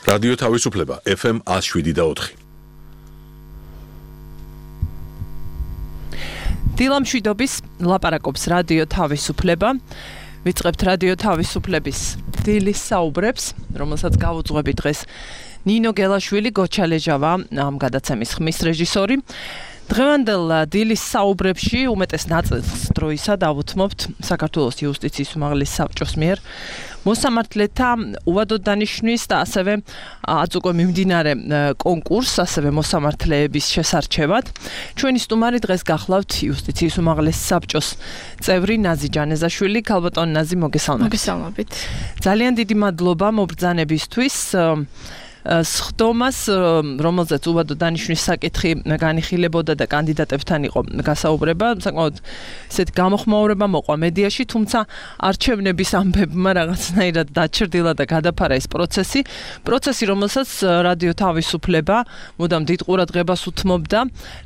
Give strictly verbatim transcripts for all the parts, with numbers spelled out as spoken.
რადიო თავისუფლება ეფ ემ one oh seven და four. დილამშვიდობის ლაპარაკობს რადიო თავისუფლება. ვიწყებთ რადიო თავისუფლების დილის საუბრებს, რომელსაც გავუძღვები დღეს ნინო გელაშვილი, გოჩალეჟავა, ამ გადაცემის ხმის რეჟისორი. დღევანდელ დილის საუბრებში უმეტეს ნაწილს დროისა დავუთმობთ საქართველოს იუსტიციის უმაღლეს საბჭოს მიერ მოსამართლეთა უვადოდ დანიშვნის და ასევე აც უკვე მიმდინარე კონკურსს, ასევე მოსამართლეების შესარჩევად. ჩვენი სტუმარი დღეს გახლავთ იუსტიციის უმაღლეს საბჭოს წევრი ნაზი ჯანეზაშვილი. ქალბატონ ნაზი, მოგესალმებით. მოგესალმებით. ძალიან დიდი მადლობა მობრძანებისთვის. სხდომას, რომელზეც უვადოდ დანიშვნის საკითხი განიხილებოდა და კანდიდატებთან იყო გასაუბრება, საკმაოდ ესეთ გამოხმაურება მოყვა მედიაში, თუმცა არჩევნების ამბებმა რაღაცნაირად დაჩრდილა და გადაფარა ეს პროცესი. პროცესი, რომელსაც რადიო თავისუფლება მუდამ დიდ ყურადღებას უთმობდა,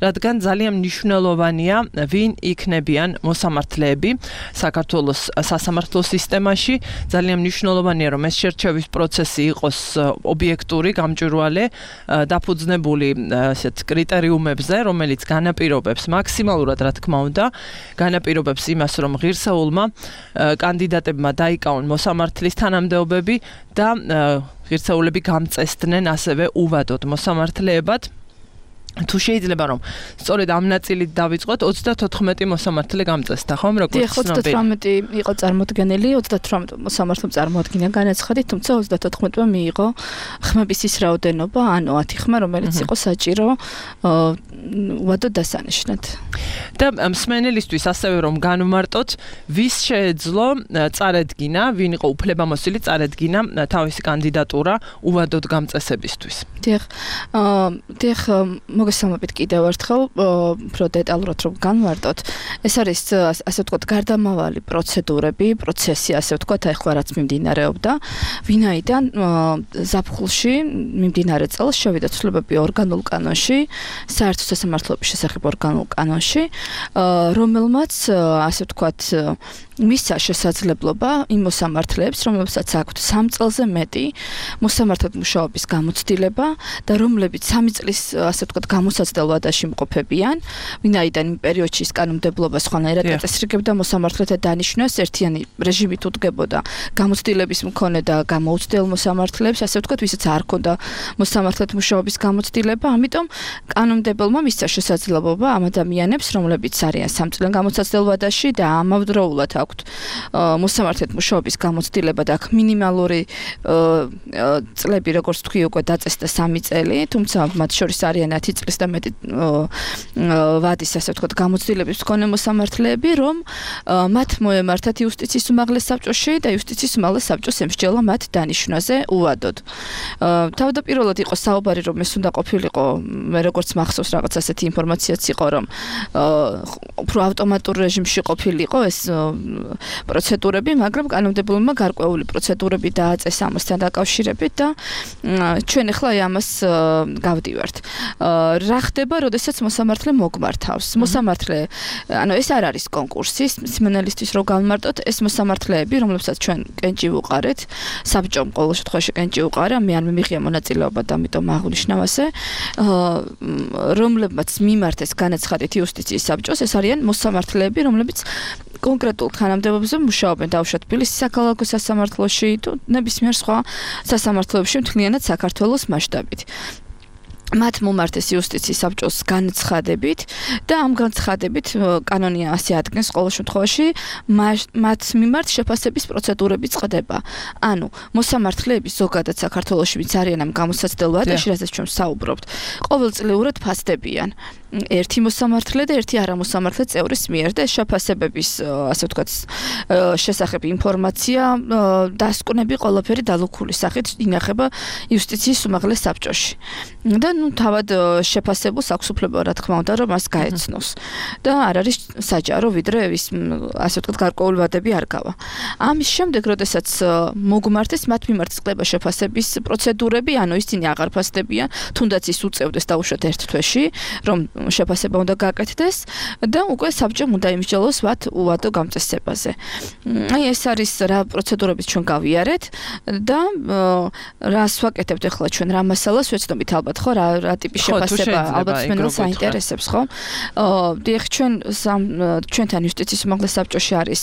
რადგან ძალიან მნიშვნელოვანია, ვინ იქნებიან მოსამართლეები საქართველოს სასამართლო სისტემაში. ძალიან მნიშვნელოვანია, რომ ეს შერჩევის პროცესი იყოს ობიექტური, გამჭვირვალე, დაფუძნებული ასეთ კრიტერიუმებზე, რომელიც განაპირობებს მაქსიმალურად, რა თქმა უნდა, განაპირობებს იმას, რომ ღირსეულმა კანდიდატებმა დაიკავონ მოსამართლის თანამდებობები და ღირსეულები გამწესდნენ ასევე უვადოდ მოსამართლეებად. თუ შეიძლება რომ სწორედ ამ ნაწილით დავიწყოთ, ოცდათოთხმეტი მოსამართლე გამწესდა, ხომ, როგორც ცნობილი. ოცდათვრამეტი იყო წარმოდგენილი, ოცდათვრამეტი მოსამართლემ წარმოადგინა განაცხადი, თუმცა ოცდათოთხმეტმა მიიღო ხმების ის რაოდენობა, ანუ ათი ხმა, რომელიც იყო საჭირო უვადოდ დასანიშნად. და მსმენელისთვის ასევე რომ განვმარტოთ, ვის შეეძლო წარედგინა, ვინ იყო უფლებამოსილი წარედგინა თავისი კანდიდატურა უვადოდ გამწესებისთვის. დიახ, დიახ, მოგესალმებით კიდევ ერთხელ, უფრო დეტალურად რომ განვარტოთ. ეს არის ასე ვთქვათ გარდამავალი პროცედურები, პროცესი, ასე ვთქვათ, ახლა რაც მიმდინარეობდა, ვინაიდან ზაფხულში მიმდინარე წელს შევიდა ცვლილებები ორგანულ კანონში, საერთო სასამართლოების შესახებ ორგანულ კანონში, რომელმაც ასე ვთქვათ მისცა შესაძლებლობა იმ მოსამართლეებს, რომლებსაც აქვთ სამ წელზე მეტი მოსამართლედ მუშაობის გამოცდილება და რომლებიც სამი წლის ასე ვთქვათ გამოსაცდელ ვადაში მყოფებიან, ვინაიდან იმ პერიოდში ის კანონმდებლობა სხვანაირად აწესრიგებდა მოსამართლეთა დანიშვნას, ერთიანი რეჟიმით უდგებოდა გამოცდილების მქონე და გამოუცდელ მოსამართლეებს, ასე ვთქვათ, ვისაც არ ჰქონდა მოსამართლედ მუშაობის გამოცდილება, ამიტომ კანონმდებელმა მისცა შესაძლებლობა ამ ადამიანებს, რომლებიც არიან სამ წლიან გამოსაცდელ ვადაში და ამავდროულად აქვთ მოსამართლედ მუშაობის გამოცდილება და აქ მინიმალური წლები, როგორც თქვი, უკვე დაწესდა სამი წელი, თუმცა მათ შორის არიან ათი წლის და მეტი ვადის, ასე ვთქვათ, გამოცდილების მქონე მოსამართლეები, რომ მათ მოემართათ იუსტიციის უმაღლეს საბჭოში და იუსტიციის უმაღლეს საბჭოს ემსჯელა მათ დანიშვნაზე უვადოდ. თავდაპირველად იყო საუბარი, რომ ეს უნდა ყოფილიყო, მე როგორც მახსოვს, რაღაც ასეთი ინფორმაციაც იყო, რომ უფრო ავტომატურ რეჟიმში ყოფილიყო ეს პროცედურები, მაგრამ კანონმდებელმა გარკვეული პროცედურები დააწესა ამასთან დაკავშირებით და ჩვენ ახლა ამას გავდივართ. რა ხდება, როდესაც მოსამართლე მოგმართავს? მოსამართლე, ანუ ეს არ არის კონკურსი, მსმენელისთვის რო გავმარტოთ, ეს მოსამართლეები, რომლებსაც ჩვენ კენჭი ვუყარეთ, საბჭომ ყოველ შემთხვევაში კენჭი უყარა, მე არ მიმიღია მონაწილეობა და ამიტომ აღნიშნავ ასე, რომლებმაც მიმართეს განაცხადით იუსტიციის საბჭოს, ეს არიან მოსამართლეები, რომლებიც კონკრეტულ თანამდებობებზე მუშაობენ დაუშვათ თბილისის საქალაქო სასამართლოში თუ ნებისმიერ სხვა სასამართლოებში მთლიანად საქართველოს მასშტაბით. მათ მომართეს იუსტიციის საბჭოს განცხადებით და ამ განცხადებით კანონია ასე ადგენს ყოველ შემთხვევაში მათ მიმართ შეფასების პროცედურები წყდება. ანუ მოსამართლეები ზოგადად საქართველოში ვინც არიან ამ გამოსაცდელ ვადაში, რასაც ჩვენ საუბრობთ, ყოველწლიურად ფასდებიან. ერთი მოსამართლე და ერთი არამოსამართლე წევრის მიერ და შეფასებების, ასე ვთქვათ, შესახებ ინფორმაცია, დასკვნები ყველაფერი დალუქული სახით ინახება იუსტიციის უმაღლეს საბჭოში. და ნუ თავად შეფასებულს აქვს უფლება, რა თქმა უნდა, რომ მას გაეცნოს. და არ არის საჯარო, ვიდრე ის, ასე ვთქვათ, გარკვეული ვადები არ გავა. ამის შემდეგ, როდესაც მოგმართეს, მათ მიმართ წყდება შეფასების პროცედურები, ანუ ისინი აღარ ფასდებიან, თუნდაც ის უწევდეს დაუშვათ ერთ თვეში, რომ შეფასება უნდა გაკეთდეს და უკვე საბჭომ უნდა იმსჯელოს ვათ უვადო გამწესებაზე. აი ეს არის რა პროცედურებით ჩვენ გავიარეთ და რას ვაკეთებთ ახლა ჩვენ რა მასალას ვეცდობით ალბათ ხო რა რა ტიპის შეფასება ალბათ მენელს აინტერესებს ხო? დიახ ჩვენ ჩვენთან იუსტიციის უმაღლეს საბჭოში არის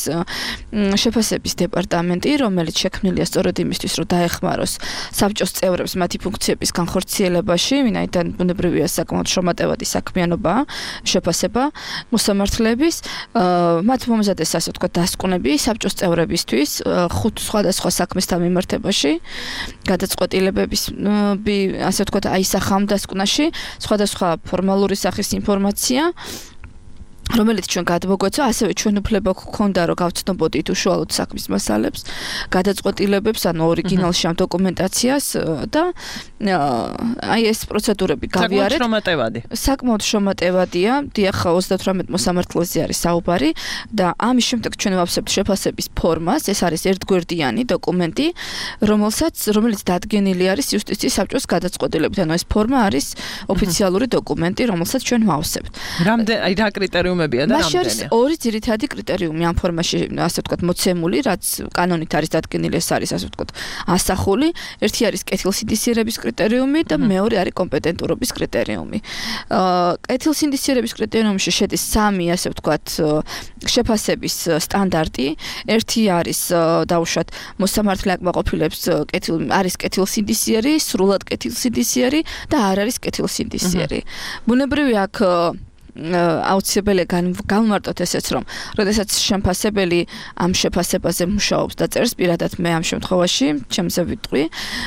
შეფასების დეპარტამენტი, რომელიც შექმნილია სწორედ იმისთვის, რომ დაეხმაროს საბჭოს წევრებს მათი ფუნქციების განხორციელებაში, ვინაიდან ბუნებრივია საკმაოდ შრომატევადი საქმიანობა შეფასება მოსამართლეების, მათ მომზადეს ასე ვთქვათ დასკვნები საბჭოს წევრებისთვის ხუთ სხვადასხვა საქმესთან მიმართებაში, გადაწყვეტილებების ასე ვთქვათ აისახამ დასკვნაში, სხვადასხვა ფორმალური სახის ინფორმაცია რომელიც ჩვენ გადმოგვეცვა, ასევე ჩვენ უფლება გვქონდა, რომ გავცნობოდით უშუალოდ საქმის მასალებს, გადაწყვეტილებებს, ანუ ორიგინალში ამ დოკუმენტაციას და აი ეს პროცედურები გავიარეთ. საკმაოდ შრომატევადი. საკმაოდ შრომატევადია, დიახ, ოცდათვრამეტ მოსამართლეზე არის საუბარი და ამის შემდეგ ჩვენ ვავსებთ შეფასების ფორმას, ეს არის ერთგვერდიანი დოკუმენტი, რომელსაც რომელიც დადგენილი არის იუსტიციის საბჭოს გადაწყვეტილებით, ანუ ეს ფორმა არის ოფიციალური დოკუმენტი, რომელსაც ჩვენ ვავსებთ. რამდენი აი რა კრიტერიუმი მაშინ არის ორი ძირითადი კრიტერიუმი ამ ფორმაში, ასე ვთქვათ, მოცემული, რაც კანონით არის დადგენილი, ეს არის, ასე ვთქვათ, ასახული. ერთი არის კეთილსინდისიერების კრიტერიუმი და მეორე არის კომპეტენტურობის კრიტერიუმი. კეთილსინდისიერების კრიტერიუმში შედის სამი, ასე ვთქვათ, შეფასების სტანდარტი. ერთი არის დაუშვათ მოსამართლე აკმაყოფილებს კეთილ არის კეთილსინდისიერი, სრულად კეთილსინდისიერი და არ არის კეთილსინდისიერი. ბუნებრივია აქ აუცილებელია განვმარტოთ ესეც, რომ როდესაც შემფასებელი ამ შეფასებაზე მუშაობს და წერს, პირადად მე ამ შემთხვევაში ჩემზე ვიტყვი,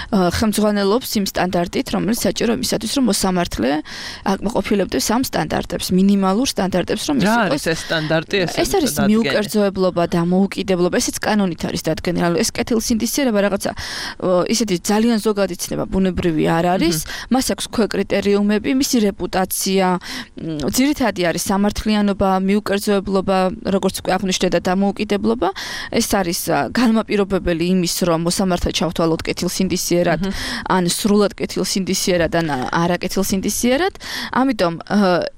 ხელმძღვანელობს იმ სტანდარტით, რომელიც საჭირო იმისათვის, რომ მოსამართლე აკმაყოფილებდეს ამ სტანდარტებს, მინიმალურ სტანდარტებს, რომ ის იყოს. რა არის ეს სტანდარტი? ეს არის მიუკერძოებლობა და მოუკიდებლობა, ესეც კანონით არის დადგენილი. ანუ ეს კეთილსინდისიერება რაღაცა ისეთი ძალიან ზოგადი ცნება ბუნებრივი არ არის, მას აქვს ქვეკრიტერიუმები, მისი რეპუტაცია, ძირითადი არის სამართლიანობა, მიუკერძოებლობა, როგორც უკვე აღნიშნეთ და დამოუკიდებლობა. ეს არის განმაპირობებელი იმის, რომ მოსამართლე ჩავთვალოთ კეთილსინდისიერად, ან სრულად კეთილსინდისიერად, ან არაკეთილსინდისიერად. ამიტომ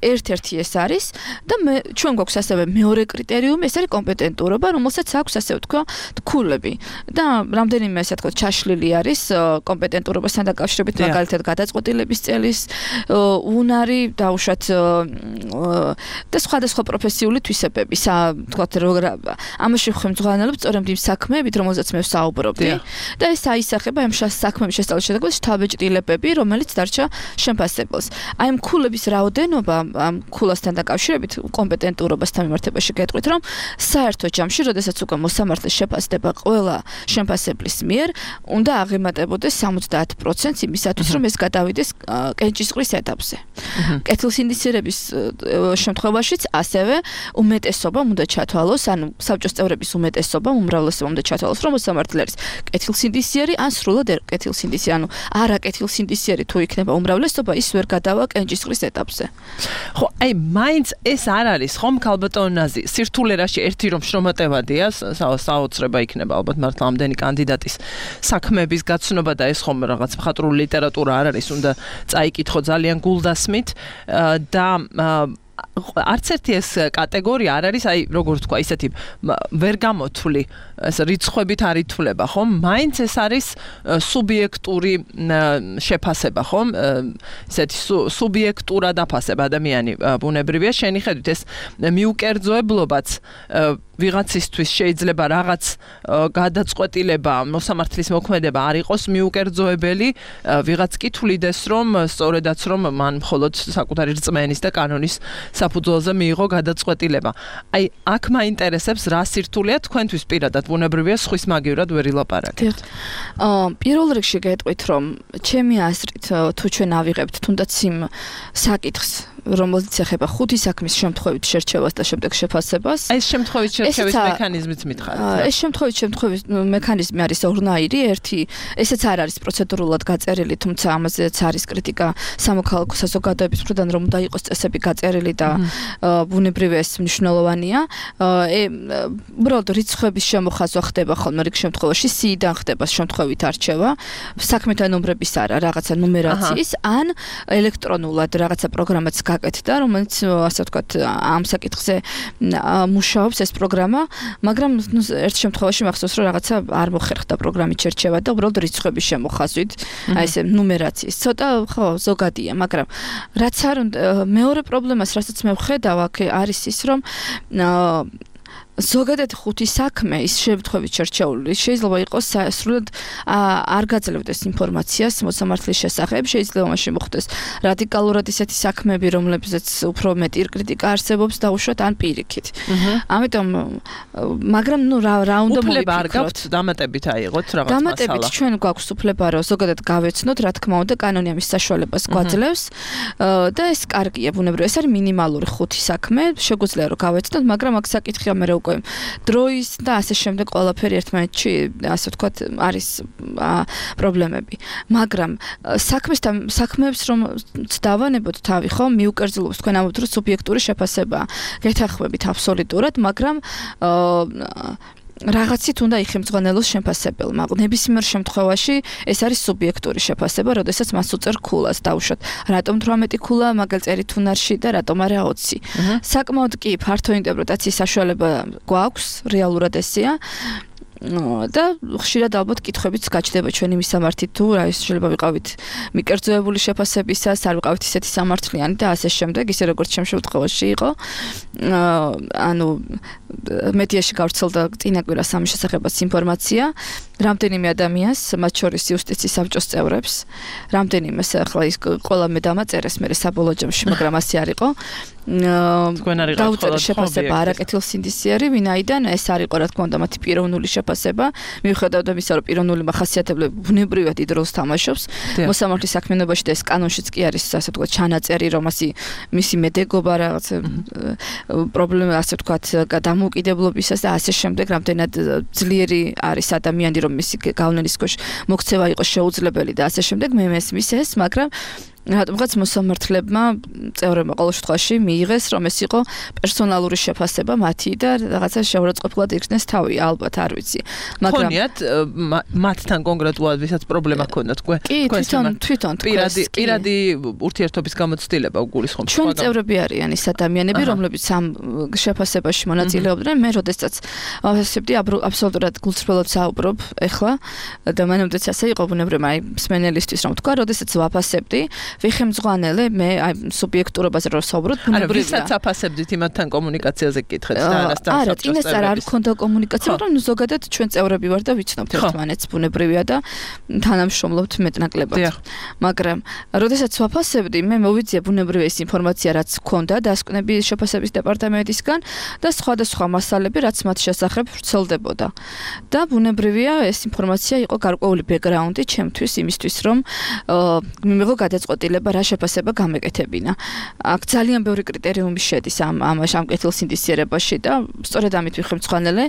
ერთ-ერთი ეს არის და მე ჩვენ გვაქვს ასევე მეორე კრიტერიუმი, ეს არის კომპეტენტურობა, რომელსაც აქვს ასე ვთქვა თქულები. და რამდენიმე ასე ვთქვა ჩაშლილი არის კომპეტენტურობასთან დაკავშირებით, მაგალითად გადაწყვეტილების წელის უნარი, დაუშვათ და სხვადასხვა პროფესიული თვისებები, თქვათ ამაში ხელმძღვანელობს სწორედ იმ საქმეებით, რომელზეც მე ვსაუბრობდი და ეს აისახება ამ საქმეების შესწავლის შედეგად შთაბეჭდილებები, რომელიც დარჩა შემფასებელს. აი ამ ქულების რაოდენობა, ამ ქულასთან დაკავშირებით კომპეტენტურობასთან მიმართებაში გეტყვით, რომ საერთო ჯამში, როდესაც უკვე მოსამართლე შეფასდება ყველა შემფასებლის მიერ, უნდა აღემატებოდეს სამოცდაათ პროცენტს იმისათვის, რომ ეს გადავიდეს კენჭისყრის ეტაპზე. კეთილსინდისიერების შემთხვევაშიც ასევე უმეტესობა უნდა ჩათვალოს, ანუ საბჭოს წევრების უმეტესობა, უმრავლესობა უნდა ჩათვალოს, რომ მოსამართლე არის კეთილსინდისიერი ან სრულად კეთილსინდისიერი, ანუ არაკეთილსინდისიერი თუ იქნება უმრავლესობა, ის ვერ გადავა კენჭისყრის ეტაპზე. ხო, აი მაინც ეს არ არის ხომ ქალბატონაზი, სირთულერაში ერთი რომ შრომატევადია, საოცრება იქნება ალბათ მართლა ამდენი კანდიდატის საქმეების გაცნობა და ეს ხომ რაღაც მხატვრული ლიტერატურა არ არის, უნდა წაიკითხო ძალიან გულდასმით და არც ერთი ეს კატეგორია არ არის, აი როგორ თქვა, ისეთი ვერ გამოთვლი, ეს რიცხვებით არ ითვლება, ხომ? მაინც ეს არის სუბიექტური შეფასება, ხომ? ესეთი სუბიექტურა დაფასება ადამიანი ბუნებრივია, შენი ხედვით ეს მიუკერძოებლობაც ვიღაცისთვის შეიძლება რაღაც გადაწყვეტილება, მოსამართლის მოქმედება არ იყოს მიუკერძოებელი, ვიღაც კი თვლიდეს, რომ სწორედაც რომ მან მხოლოდ საკუთარი რწმენის და კანონის საფუძველზე მიიღო გადაწყვეტილება. აი, აქ მაინტერესებს რა სირთულეა თქვენთვის პირადად ბუნებრივია სხვის მაგივრად ვერ ილაპარაკებთ. აა, პირველ რიგში გეტყვით, რომ ჩემი აზრით თუ ჩვენ ავიღებთ თუნდაც იმ საკითხს, რომელიც ეხება ხუთი საქმის შემთხვევით შერჩევას და შემდეგ შეფასებას. ეს შემთხვევით შერჩევის მექანიზმიც მითხარით. ეს შემთხვევით შემთხვევის მექანიზმი არის ორნაირი, ერთი, ესეც არ არის პროცედურულად გაწერილი, თუმცა ამაზეც არის კრიტიკა სამოქალაქო საზოგადოების მხრიდან, რომ უნდა იყოს წესები გაწერილი და ბუნებრივია ეს მნიშვნელოვანია. უბრალოდ რიცხვების შემოხაზვა ხდება ხოლმე რიგ შემთხვევაში, სიიდან ხდება შემთხვევით არჩევა, საქმეთა ნომრების არა, რაღაცა ნუმერაციის, ან ელექტრონულად რაღაცა პროგრამაც გაკეთდა, რომელიც ასე ვთქვათ, ამ საკითხზე მუშაობს ეს პროგრამა, მაგრამ ერთ შემთხვევაში მახსოვს, რომ რაღაცა არ მოხერხდა პროგრამის შერჩევა და უბრალოდ რიცხვების შემოხაზვით, აი ესე ნუმერაციის. ცოტა ხო, ზოგადია, მაგრამ რაც არ მეორე პრობლემას, რასაც მე ვხედავ, აქ არის ის, რომ ზოგადად ხუთი საქმე ის შემთხვევით შერჩეული შეიძლება იყოს სრულად არ გაძლევდეს ინფორმაციას მოსამართლის შესახებ, შეიძლება მაშინ მოხდეს რადიკალურად ისეთი საქმეები, რომლებზეც უფრო მეტი კრიტიკა არსებობს დაუშვათ ან პირიქით. ამიტომ მაგრამ ნუ რა რა უნდა მოვიფიქროთ. უფლება არ გაქვთ დამატებით აიღოთ რაღაც მასალა. დამატებით ჩვენ გვაქვს უფლება რომ ზოგადად გავეცნოთ, რა თქმა უნდა, კანონი ამის საშუალებას გვაძლევს და ეს კარგია ბუნებრივად. ეს არის მინიმალური ხუთი საქმე, შეგვიძლია რომ გავეცნოთ, მაგრამ აქ საკითხია მე უკვე დროის და ასე შემდეგ ყველაფერი ერთმანეთში ასე ვთქვათ არის პრობლემები. მაგრამ საქმესთან საქმეებს რომ დავანებოთ თავი, ხო, მიუკერძილობს თქვენ ამბობთ რომ სუბიექტური შეფასება. გეთანხმებით აბსოლუტურად, მაგრამ რაღაცით უნდა იხემძღვანელოს შეფასებელმა. ნებისმიერ შემთხვევაში ეს არის სუბიექტური შეფასება, როდესაც მას უწერ ქულას დავუშვათ. რატომ თვრამეტი ქულა მაგალ წერით უნარში და რატომ არა ოცი. საკმაოდ კი ფართო ინტერპრეტაციის საშუალება გვაქვს, რეალურად ესეა. და ხშირად ალბათ კითხვებიც გაჩნდება ჩვენი მისამართით თუ რა ის შეიძლება ვიყავით მიკერძოებული შეფასებისას, არ ვიყავით ისეთი სამართლიანი და ასე შემდეგ, ისე როგორც ჩემ შემთხვევაში იყო. ანუ მედიაში გავრცელდა წინა კვირას ამის შესახებაც ინფორმაცია, რამდენიმე ადამიანს, მათ შორის იუსტიციის საბჭოს წევრებს, რამდენიმეს ახლა ის ყველა მე დამაწერეს მე საბოლოო ჯამში, მაგრამ ასე არ იყო. დაუწერა შეფასება არაკეთილსინდისიერი, ვინაიდან ეს არ იყო რა თქმა უნდა მათი პიროვნული შეფასება, მიუხედავად ამისა, რომ პიროვნული მახასიათებლები ბუნებრივად დიდ როლს თამაშობს მოსამართლის საქმიანობაში და ეს კანონშიც კი არის ასე ვთქვათ ჩანაწერი, რომ ასი მისი მედეგობა რაღაც პრობლემა ასე ვთქვათ დამოუკიდებლობისას და ასე შემდეგ, რამდენად ძლიერი არის ადამიანი, რომ მისი გავლენის ქვეშ მოქცევა იყოს შეუძლებელი და ასე შემდეგ, მე მესმის ეს, მაგრამ რატომღაც მოსამართლებმა წევრებმა ყოველ შემთხვევაში მიიღეს, რომ ეს იყო პერსონალური შეფასება მათი და რაღაცა შეურაცხყოფილად იქნეს თავი, ალბათ არ ვიცი. მაგრამ ხონიათ მათთან კონკრეტულად ვისაც პრობლემა ჰქონდათ თქვენ თვითონ თვითონ პირადი პირადი ურთიერთობის გამოცდილება უგულისხმობს. ჩვენ წევრები არიან ის ადამიანები, რომლებიც ამ შეფასებაში მონაწილეობდნენ. მე როდესაც ვასწრებდი აბსოლუტურად გულწრფელად საუბრობ ეხლა და მანამდეც ასე იყო ბუნებრივად, აი მსმენელისთვის რომ თქვა, როდესაც ვაფასებდი ვიხემძღვანელე მე აი სუბიექტურობაზე რომ საუბრობ ბუნებრივია. არა, ვისაც აფასებდით იმათთან კომუნიკაციაზე გკითხეთ და არასთან არა, წინასწარ არ მქონდა კომუნიკაცია, მაგრამ ზოგადად ჩვენ წევრები ვარ და ვიცნობთ ერთმანეთს ბუნებრივია და თანამშრომლობთ მეტნაკლებად. მაგრამ როდესაც ვაფასებდი, მე მოვიძია ბუნებრივია ეს ინფორმაცია, რაც მქონდა დასკვნების შეფასების დეპარტამენტისგან და სხვადასხვა მასალები, რაც მათ შესახებ ვრცელდებოდა. და ბუნებრივია ეს ინფორმაცია იყო გარკვეული ბექგრაუნდი ჩემთვის იმისთვის, რომ მიმიღო გადაწყვეტილება რა შეფასება გამეკეთებინა. აქ ძალიან ბევრი კრიტერიუმი შედის ამ ამ კეთილსინდისიერებაში და სწორედ ამით ვიხემძღვანელე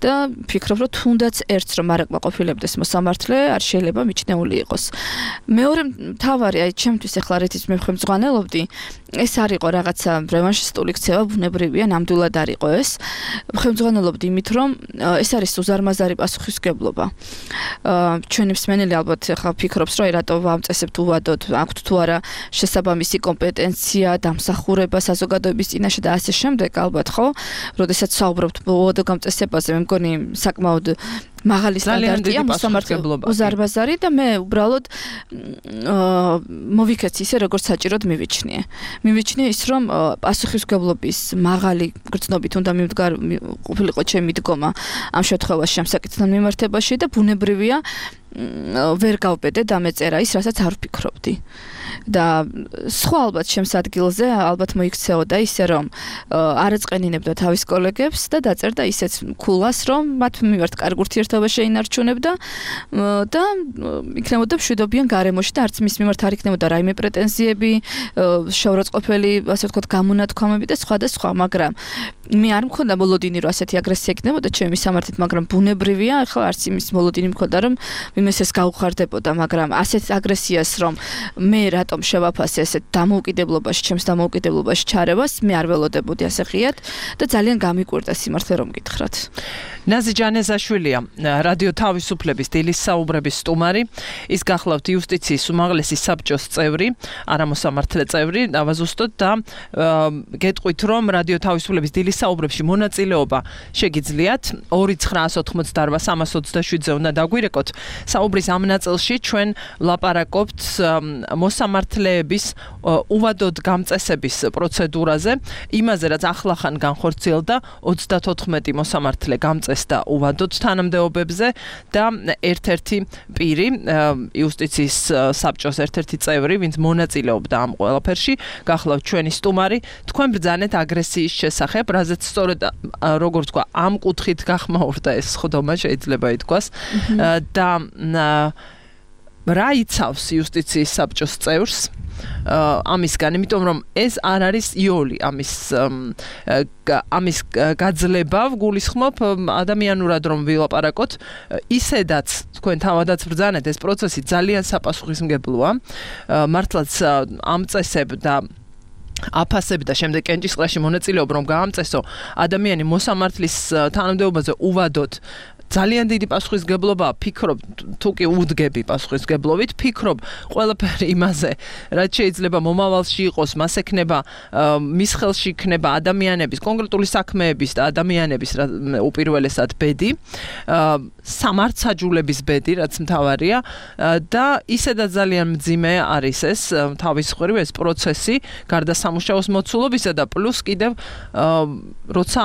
და ვფიქრობ, რომ თუნდაც ერთს რომ არ აკმაყოფილებდეს მოსამართლე, არ შეიძლება მიჩნეული იყოს. მეორე მთავარი, აი ჩემთვის ახლა რითიც მე ვხემძღვანელობდი, ეს არ იყო რაღაცა რევანშისტული ქცევა, ბუნებრივია, ნამდვილად არ იყო ეს. ვხემძღვანელობდი იმით, რომ ეს არის უზარმაზარი პასუხისმგებლობა. ჩვენი მსმენელი ალბათ ახლა ფიქრობს, რომ რატო ვამწესებთ უვადოთ, აქვთ თუ არა შესაბამისი კომპეტენცია, დამსახურება საზოგადოების წინაშე და ასე შემდეგ, ალბათ ხო? როდესაც საუბრობთ უვადო გამწესებაზე, მე მგონი საკმაოდ მაღალი სტანდარტია მოსამართლებლობა. უზარმაზარი და მე უბრალოდ მოვიქეცი ისე, როგორც საჭიროდ მივიჩნიე. მივიჩნიე ის, რომ პასუხისმგებლობის მაღალი გრძნობით უნდა ყოფილიყო ჩემი დგომა ამ შემთხვევაში ამ საკითხთან მიმართებაში და ბუნებრივია ვერ გავბედე დამეწერა ის, რასაც არ ვფიქრობდი. და სხვა ალბათ ჩემს ადგილზე ალბათ მოიქცეოდა ისე, რომ არ ეწყენინებდა თავის კოლეგებს და დაწერდა ისეთ ქულას, რომ მათ მიმართ კარგ ურთიერთობა შეინარჩუნებდა და იქნებოდა მშვიდობიან გარემოში და არც მის მიმართ არ იქნებოდა რაიმე პრეტენზიები, შეურაცხყოფელი, ასე ვთქვათ, გამონათქვამები და სხვა და სხვა, მაგრამ მე არ მქონდა მოლოდინი, რომ ასეთი აგრესია იქნებოდა ჩემი სამართლით, მაგრამ ბუნებრივია, ახლა არც იმის მოლოდინი მქონდა, რომ ვინმეს ეს გაუხარდებოდა, მაგრამ ასეთ აგრესიას, რომ მე რატომ შევაფასე ესეთ დამოუკიდებლობაში, ჩემს დამოუკიდებლობაში ჩარევას, მე არ ველოდებოდი ასე ღიად და ძალიან გამიკვირდა სიმართლე რომ გითხრათ. ნაზი ჯანეზაშვილია, რადიო თავისუფლების დილის საუბრების სტუმარი, ის გახლავთ იუსტიციის უმაღლესი საბჭოს წევრი, არამოსამართლე წევრი, დავაზუსტოთ და გეტყვით, რომ რადიო თავისუფლების დილის საუბრებში მონაწილეობა შეგიძლიათ ორი ცხრაას ოთხმოცდაორ სამას ოცდაშვიდზე უნდა დაგვირეკოთ. საუბრის ამ ნაწილში ჩვენ ვლაპარაკობთ მოსამართლეების უვადოდ გამწესების პროცედურაზე, იმაზე, რაც ახლახან განხორციელდა ოცდათოთხმეტი მოსამართლე გამწესდა უვადოდ თანამდებობებზე და ერთ-ერთი პირი, იუსტიციის საბჭოს ერთ-ერთი წევრი, ვინც მონაწილეობდა ამ ყველაფერში, გახლავთ ჩვენი სტუმარი, თქვენ ბრძანეთ აგრესიის შესახებ, რაზეც სწორედ როგორც თქვა, ამ კუთხით გახმაურდა ეს ხდომა, შეიძლება ითქვას და რა იცავს იუსტიციის საბჭოს წევრს ამისგან, იმიტომ რომ ეს არ არის იოლი ამის ამის გაძლება, გულისხმობ ადამიანურად რომ ვილაპარაკოთ, ისედაც თქვენ თავადაც ბრძანეთ, ეს პროცესი ძალიან საპასუხისმგებლოა, მართლაც ამ წესებ და აფასებ და შემდეგ კენჭისყრაში მონაწილეობ რომ გაამწესო ადამიანი მოსამართლის თანამდებობაზე უვადოდ ძალიან დიდი პასუხისმგებლობაა, ფიქრობ, თუ კი უდგები პასუხისმგებლობით, ფიქრობ ყველაფერი იმაზე, რაც შეიძლება მომავალში იყოს, მას ექნება, მის ხელში იქნება ადამიანების, კონკრეტული საქმეების და ადამიანების უპირველესად ბედი, სამართსაჯულების ბედი, რაც მთავარია და ისედაც ძალიან მძიმე არის ეს თავის მხრივ ეს პროცესი, გარდა სამუშაოს მოცულობისა და პლუს კიდევ როცა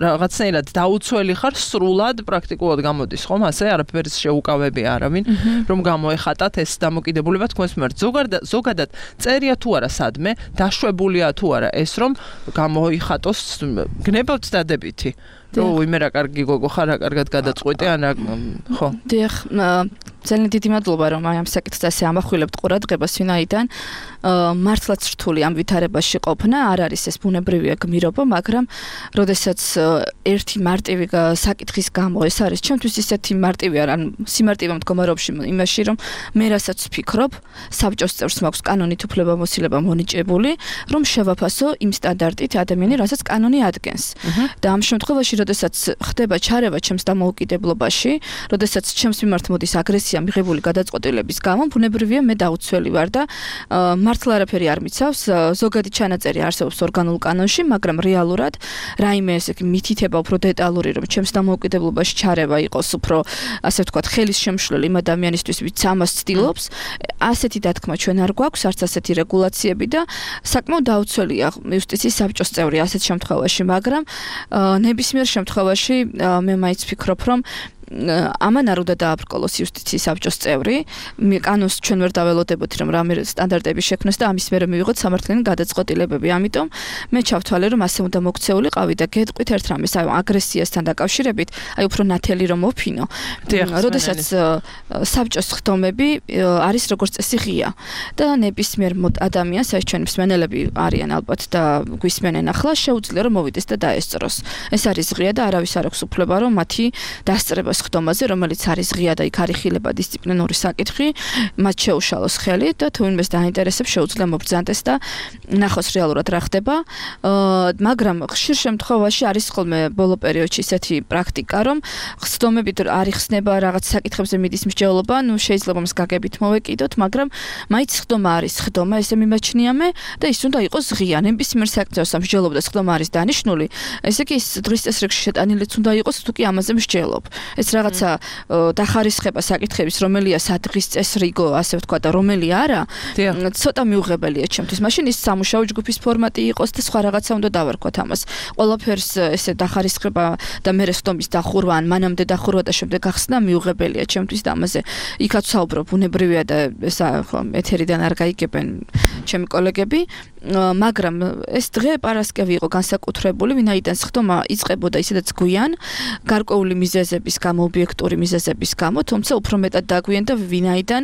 რაღაცნაირად დაუცველი ხარ, სრულად პრაქტიკულად გამოდის, ხომ, ასე არაფერს შეუკავები არავინ, რომ გამოეხატათ ეს დამოკიდებულება თქვენს მიმართ. ზოგადად წერია თუ არა სადმე, დაშვებულია თუ არა ეს, რომ გამოიხატოს, გნებავთ დადებითი. რო იმერა კარგი გოგო ხარ, რა კარგად გადაწყვეტე, ან ხო. დიახ, ძალიან დიდი მადლობა, რომ აი ამ საკითხს ასე ამახვილებთ ყურადღებას, ვინაიდან მართლაც რთული ამ ვითარებაში ყოფნა, არ არის ეს ბუნებრივია გმირობა, მაგრამ როდესაც ერთი მარტივი საკითხის გამო ეს არის, ჩემთვის ისეთი მარტივი არ, ან სიმარტივე მდგომარეობაში იმაში, რომ მე რასაც ვფიქრობ, საბჭოს წევრს მაქვს კანონით უფლებამოსილება მონიჭებული, რომ შევაფასო იმ სტანდარტით ადამიანი, რასაც კანონი ადგენს. და ამ შემთხვევაში როდესაც ხდება ჩარევა ჩემს დამოუკიდებლობაში, როდესაც ჩემს მიმართ მოდის აგრესია მიღებული გადაწყვეტილების გამო, ბუნებრივია მე დაუცველი ვარ და მართლა არაფერი არ მიცავს, ზოგადი ჩანაწერი არსებობს ორგანულ კანონში, მაგრამ რეალურად რაიმე ესე მითითება უფრო დეტალური, რომ ჩემს დამოუკიდებლობაში ჩარევა იყოს უფრო, ასე ვთქვათ, ხელის შემშლელი იმ ადამიანისთვის, ვინც ამას ცდილობს, ასეთი დათქმა ჩვენ არ გვაქვს, არც ასეთი რეგულაციები და საკმაოდ დაუცველია იუსტიციის საბჭოს წევრი ასეთ შემთხვევაში, მაგრამ ნებისმიერ შემთხვევაში მე მაინც ვფიქრობ, რომ ამან არ უნდა დააბრკოლოს იუსტიციის საბჭოს წევრი, კანონს ჩვენ ვერ დაველოდებოთ, რომ რამე სტანდარტები შექმნას და ამის მერე მივიღოთ სამართლიანი გადაწყვეტილებები. ამიტომ მე ჩავთვალე, რომ ასე უნდა მოქცეულიყავი და გეტყვით ერთ რამეს, აი აგრესიასთან დაკავშირებით, აი უფრო ნათელი რომ მოფინო. როდესაც საბჭოს ხდომები არის როგორც წესი ღია და ნებისმიერ ადამიანს, აი ჩვენი მსმენელები არიან ალბათ და გვისმენენ ახლა, შეუძლია რომ მოვიდეს და დაესწროს. ეს არის ღია და არავის არ აქვს უფლება, რომ მათი დასწრებას ხდომაზე, რომელიც არის ღია და იქ არის ხილება დისციპლინური საკითხი, მათ შეუშალოს ხელი და თუ ვინმეს დაინტერესებს, შეუძლია მობრძანდეს და ნახოს რეალურად რა ხდება. მაგრამ ხშირ შემთხვევაში არის ხოლმე ბოლო პერიოდში ისეთი პრაქტიკა, რომ ხდომებით არ იხსნება რაღაც საკითხებზე მიდის მსჯელობა, ნუ შეიძლება მას გაგებით მოვეკიდოთ, მაგრამ მაინც ხდომა არის ხდომა, ესე მიმაჩნია მე და ის უნდა იყოს ღია. ნებისმიერ საკითხზე მსჯელობდეს ხდომა არის დანიშნული, ესე იგი ის დღის წესრიგში შეტანილიც უნდა იყოს, თუ კი ამაზე მსჯელობ. ეს რაღაცა დახარისხება საკითხების, რომელია სადღის წესრიგო, ასე ვთქვა და რომელი არა, ცოტა მიუღებელია ჩემთვის. მაშინ ის სამუშაო ჯგუფის ფორმატი იყოს და სხვა რაღაცა უნდა დავარქვათ ამას. ყველაფერს ესე დახარისხება და მერე ხდომის დახურვა, ან მანამდე დახურვა და შემდეგ ახსნა მიუღებელია ჩემთვის და ამაზე იქაც საუბრობ, ბუნებრივია და ეს ხო ეთერიდან არ გაიგებენ ჩემი კოლეგები, მაგრამ ეს დღე პარასკევი იყო განსაკუთრებული, ვინაიდან ხდომა იწყებოდა ისედაც გვიან, გარკვეული მიზეზების გამო, ობიექტური მიზეზების გამო, თუმცა უფრო მეტად დაგვიანდა, ვინაიდან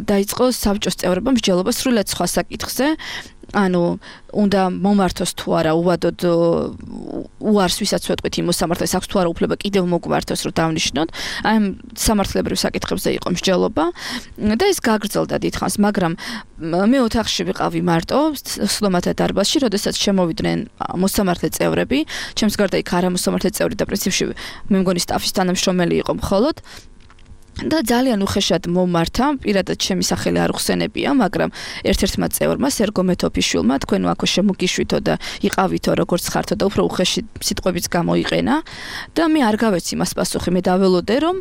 დაიწყო საბჭოს წევრებმა მსჯელობა სრულიად სხვა საკითხზე, ანუ უნდა მომართოს თუ არა უვადოდ უარს ვისაც ვეთქვით იმ მოსამართლეს აქვს თუ არა უფლება კიდევ მოგვართოს რომ დავნიშნოთ აი ამ სამართლებრივ საკითხებზე იყო მსჯელობა და ეს გაგრძელდა დიდხანს მაგრამ მე ოთახში ვიყავი მარტო სლომათა დარბაზში როდესაც შემოვიდნენ მოსამართლე წევრები ჩემს გარდა იქ არა მოსამართლე წევრი და პრინციპში მე მგონი სტაფის თანამშრომელი იყო მხოლოდ და ძალიან უხეშად მომართა, პირადად ჩემი სახელი არ ხსენებია, მაგრამ ერთ-ერთმა წევრმა სერგო მეთოფიშვილმა თქვენ აქ შემოგიშვითო და იყავითო როგორც ხართო და უფრო უხეში სიტყვებიც გამოიყენა და მე არ გავეცი მას პასუხი, მე დაველოდე რომ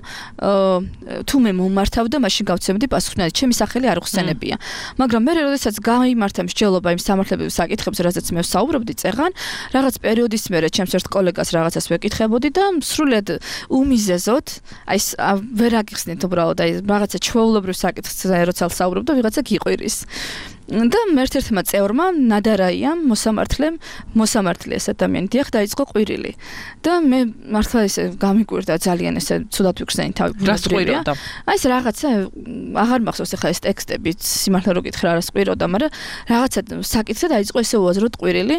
თუ მე მომართავ და მაშინ გავცემდი პასუხი, ჩემი სახელი არ ხსენებია. მაგრამ მე როდესაც გაიმართა მსჯელობა იმ სამართლებრივ საკითხებზე, რაზეც მე ვსაუბრობდი წეღან, რაღაც პერიოდის მერე ჩემს ერთ კოლეგას რაღაცას ვეკითხებოდი და სრულიად უმიზეზოდ, აი ვერ აგიხსნით უბრალოდ აი რაღაცა ჩვეულებრივ საკითხზე როცა ვსაუბრობ და ვიღაცა გიყვირის. და ერთ-ერთმა წევრმა ნადარაიამ მოსამართლემ მოსამართლე ეს ადამიანი დიახ დაიწყო ყვირილი და მე მართლა ესე გამიკვირდა ძალიან ესე ცუდად ვიქცენი თავი ბუნებრივია აი ეს რაღაცა აღარ მახსოვს ახლა ეს ტექსტები სიმართლე რო გითხრა რა სყვიროდა მაგრამ რაღაცა საკითხზე დაიწყო ესე უაზროდ ყვირილი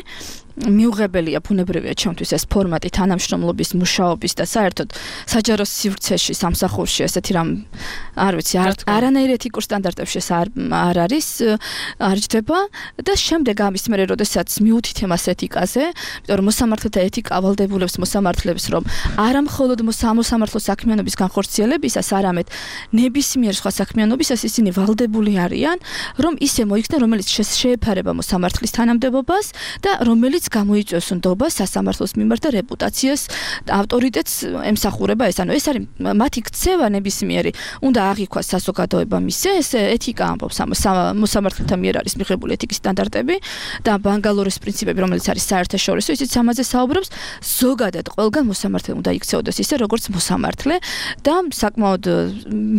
მიუღებელია ბუნებრივია ჩემთვის ეს ფორმატი თანამშრომლობის მუშაობის და საერთოდ საჯარო სივრცეში სამსახურში ესეთი რამ არ ვიცი არანაირ ეთიკურ სტანდარტებში ეს არ არ არის არ ჯდება და შემდეგ ამის მერე როდესაც მიუთით εμას ეთიკაზე, იმიტომ რომ მოსამართლეთა ეთიკა ავალდებულებს მოსამართლებს რომ არა მხოლოდ მოსამართლო საქმიანობის განხორციელებისას, არამედ ნებისმიერ სხვა საქმიანობისას ისინი ვალდებული არიან, რომ ისე მოიქცნენ, რომელიც შეეფარება მოსამართლის თანამდებობას და რომელიც გამოიწვევს ნდობას სასამართლოს მიმართ და რეპუტაციას და ავტორიტეტს ემსახურება ეს. ანუ ეს არის მათი ქცევა ნებისმიერი, უნდა აღიქვას საზოგადოება მისე, ეს ეთიკა ამბობს მოსამართლეთა მიერ არის მიღებული ეთიკის სტანდარტები და ბანგალორის პრინციპები, რომელიც არის საერთაშორისო, ისიც ამაზე საუბრობს, ზოგადად ყველგან მოსამართლე უნდა იქცეოდეს ისე, როგორც მოსამართლე და საკმაოდ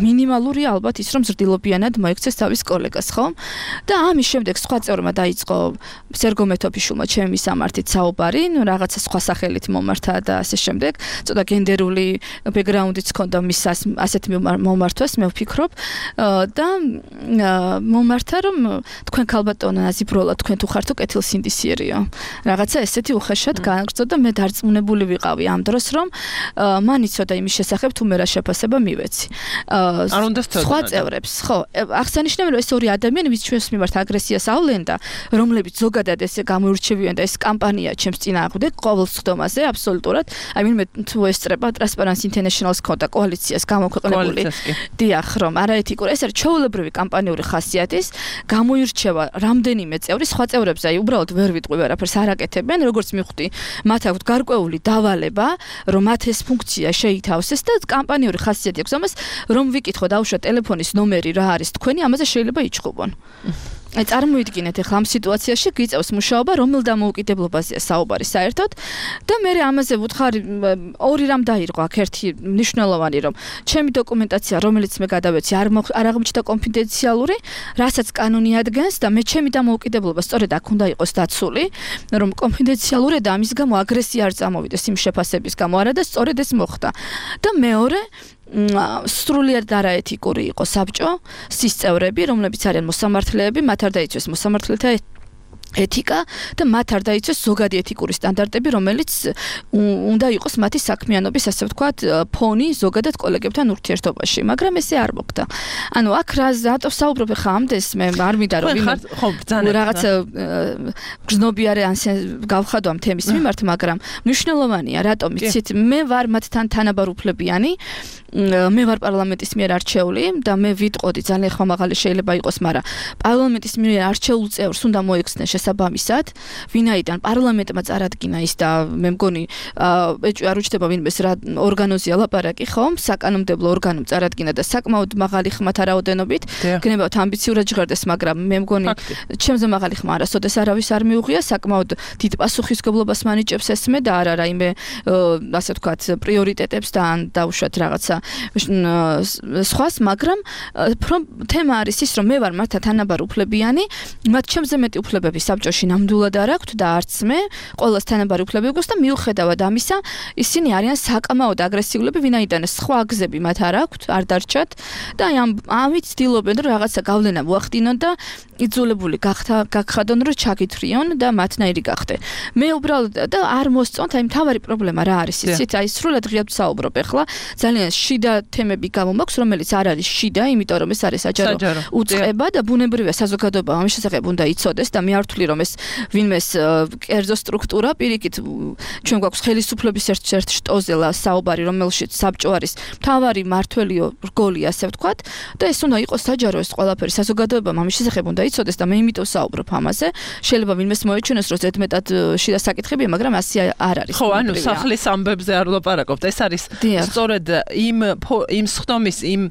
მინიმალურია ალბათ ის, რომ ზრდილობიანად მოექცეს თავის კოლეგას, ხო? და ამის შემდეგ სხვა წევრმა დაიწყო სერგო მეთოფიშვილმა ჩემი სამართით საუბარი, ნუ რაღაცა სხვა სახელით მომართა და ასე შემდეგ, ცოტა გენდერული ბექგრაუნდიც ჰქონდა მის ასეთ მომართვას, მე ვფიქრობ და მომართა რომ თქვენ ქალბატონო ნაზიბროლა თქვენ თუ ხართო კეთილსინდისიერიო. რაღაცა ესეთი უხეშად გააგრძელდა და მე დარწმუნებული ვიყავი ამ დროს რომ მან იცოდა იმის შესახებ თუ მე რა შეფასება მივეცი. არ უნდა სწორად. სხვა წევრებს, ხო, აღსანიშნავია რომ ეს ორი ადამიანი ვის ჩვენს მიმართ აგრესიას ავლენ და რომლებიც ზოგადად ესე გამოირჩევიან და ეს კამპანია ჩემს წინააღმდეგ ყოველ სხდომაზე აბსოლუტურად. აი მე თუ ესწრება Transparency International-ს ქონდა კოალიციას გამოქვეყნებული. დიახ, რომ არაეთიკურ ეს არის ჩვეულებრივი კამპანიური ხასიათის გამოირჩევა რამდენიმე წევრი სხვა წევრებზე აი უბრალოდ ვერ ვიტყვი ვერაფერს არ აკეთებენ როგორც მივხვდი მათ აქვთ გარკვეული დავალება რომ მათ ეს ფუნქცია შეითავსეს და კამპანიური ხასიათი აქვს ამას რომ ვიკითხო დაუშვათ ტელეფონის ნომერი რა არის თქვენი ამაზე შეიძლება იჩხუბონ აი წარმოიდგინეთ ახლა ამ სიტუაციაში გიწევს მუშაობა რომელ დამოუკიდებლობაზეა საუბარი საერთოდ და მე ამაზე ვუთხარი ორი რამ დაირღვა აქ ერთი მნიშვნელოვანი რომ ჩემი დოკუმენტაცია რომელიც მე გადავეცი არ არ აღმოჩნდა კონფიდენციალური რასაც კანონი ადგენს და მე ჩემი დამოუკიდებლობა სწორედ აქ უნდა იყოს დაცული რომ კონფიდენციალურია და ამის გამო აგრესია არ წამოვიდეს იმ შეფასების გამო არა და სწორედ ეს მოხდა და მეორე სრულიად არაეთიკური იყო საბჭო სისწევრები რომლებიც არიან მოსამართლეები მათ არ დაიცვეს მოსამართლეთა ეთიკა და მათ არ დაიცვეს ზოგადი ეთიკური სტანდარტები რომელიც უნდა იყოს მათი საქმიანობის ასე ვთქვათ ფონი ზოგადად კოლეგებთან ურთიერთობაში მაგრამ ესე არ მოხდა ანუ აქ რა ზატო საუბრობ ხა ამდენს მე არ მინდა რომ ხო ბრძანეთ რაღაცა გზნობიარე ან გავხადო ამ თემის მიმართ მაგრამ მნიშვნელოვანია რატომ იცით მე ვარ მათთან თანაბარ უფლებიანი მე ვარ პარლამენტის მიერ არჩეული და მე ვიტყოდი ძალიან ხმამაღალი შეიძლება იყოს მაგრამ პარლამენტის მიერ არჩეულ წევრს უნდა მოექცნენ შესაბამისად ვინაიდან პარლამენტმა წარადგინა ის და მე მგონი ეჭვი არ უჩნდება ვინმეს რა ორგანოზია ლაპარაკი ხო საკანონმდებლო ორგანომ წარადგინა და საკმაოდ მაღალი ხმათა რაოდენობით გნებავთ ამბიციურად ჟღერდეს მაგრამ მე მგონი ჩემზე მაღალი ხმა არასოდეს არავის არ მიუღია საკმაოდ დიდ პასუხისგებლობას მანიჭებს ეს მე და არა რაიმე ასე ვთქვათ პრიორიტეტებს და ან დაუშვათ რაღაცა სხვას მაგრამ თემა არის ის რომ მე ვარ მათთან თანაბარ უფლებიანი მათ ჩემზე მეტი უფლებები საბჭოში ნამდვილად არ აქვთ და არც მე, ყოველს თანაბარი უფლებები გვაქვს და მიუხედავად ამისა, ისინი არიან საკამაოდ აგრესიულები, ვინაიდან სხვა გზები მათ არ აქვთ, არ დარჩათ და ამ ამით ცდილობენ რომ რაღაცა გავლენა მოახდინონ და იძულებული გაგხადონ რომ ჩაგითვრიონ და მათნაირი გახდე. მე უბრალოდ და არ მოსწონთ, აი მთავარი პრობლემა რა არის იცით, აი სრულად ღიად ვსაუბრობ ახლა, ძალიან შიდა თემები გამომაქვს, რომელიც არ არის შიდა, იმიტომ რომ ეს არის საჯარო უწყება და ბუნებრივია საზოგადოება ამის შესახებ უნდა იცოდეს და მე არ ვთვლი რომ ეს ვინმეს კერძო სტრუქტურა პირიქით ჩვენ გვაქვს ხელისუფლების ერთ-ერთ შტოზე საუბარი, რომელშიც საბჭო არის მთავარი მართველი რგოლი, ასე ვთქვათ, და ეს უნდა იყოს საჯარო ეს ყველაფერი საზოგადოებამ ამის შესახებ უნდა იცოდეს და მე იმიტომ საუბრობ ამაზე. შეიძლება ვინმეს მოეჩვენოს რომ ზედმეტად შიდა საკითხებია, მაგრამ ასე არ არის. ხო, ანუ სახლის ამბებზე არ ვლაპარაკობთ. ეს არის სწორედ იმ იმ სხდომის იმ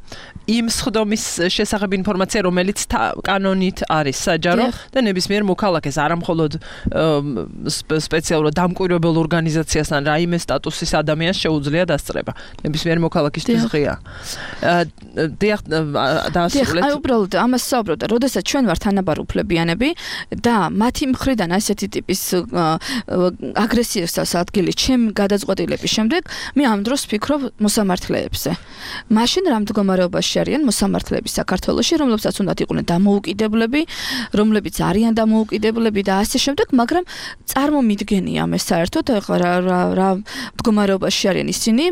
იმ სხდომის შესახებ ინფორმაცია, რომელიც კანონით არის საჯარო და ნებისმიერ მოქალაქეს, არა მხოლოდ სპეციალურად დამკვირვებელ ორგანიზაციასთან რაიმე სტატუსის ადამიანს შეუძლია დასწრება. ნებისმიერ მოქალაქისთვის ღია. დიახ, დაასრულეთ. აი უბრალოდ ამას საუბრობ და როდესაც ჩვენ ვართ თანაბარუფლებიანები და მათი მხრიდან ასეთი ტიპის აგრესიას ადგილი ჩემ გადაწყვეტილების შემდეგ, მე ამ დროს ვფიქრობ მოსამართლეებზე. მაშინ რა მდგომარეობაში არიან მოსამართლეები საქართველოში, რომლებსაც უნდათ იყვნენ დამოუკიდებლები, რომლებიც არიან დამოუკიდებლები და ასე შემდეგ, მაგრამ წარმომიდგენია მე საერთოდ რა რა რა მდგომარეობაში არიან ისინი,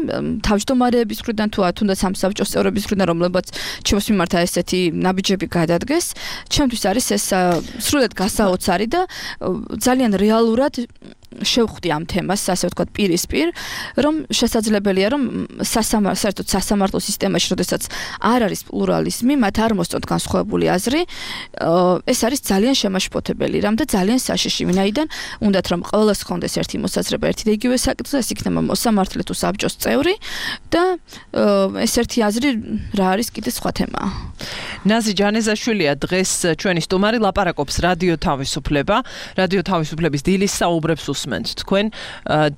თავმჯდომარეების მხრიდან თუ თუნდაც ამ საბჭოს წევრების მხრიდან, რომლებაც ჩემს მიმართ ესეთი ნაბიჯები გადადგეს, ჩემთვის არის ეს სრულად გასაოცარი და ძალიან რეალურად შევხვდი ამ თემას, ასე ვთქვათ, პირისპირ, რომ შესაძლებელია, რომ სასამართლო, საერთოდ სასამართლო სისტემაში, როდესაც არ არის პლურალიზმი, მათ არ მოსწონთ განსხვავებული აზრი, ეს არის ძალიან შემაშფოთებელი რამ და ძალიან საშიში, ვინაიდან უნდათ რომ ყველას ხონდეს ერთი მოსაზრება, ერთი და იგივე საკითხზე, ეს იქნება მოსამართლე თუ საბჭოს წევრი და ეს ერთი აზრი რა არის კიდე სხვა თემაა. ნაზი ჯანეზაშვილია დღეს ჩვენი სტუმარი, ლაპარაკობს რადიო თავისუფლება, რადიო თავისუფლების დილის საუბრებს უსმენთ თქვენ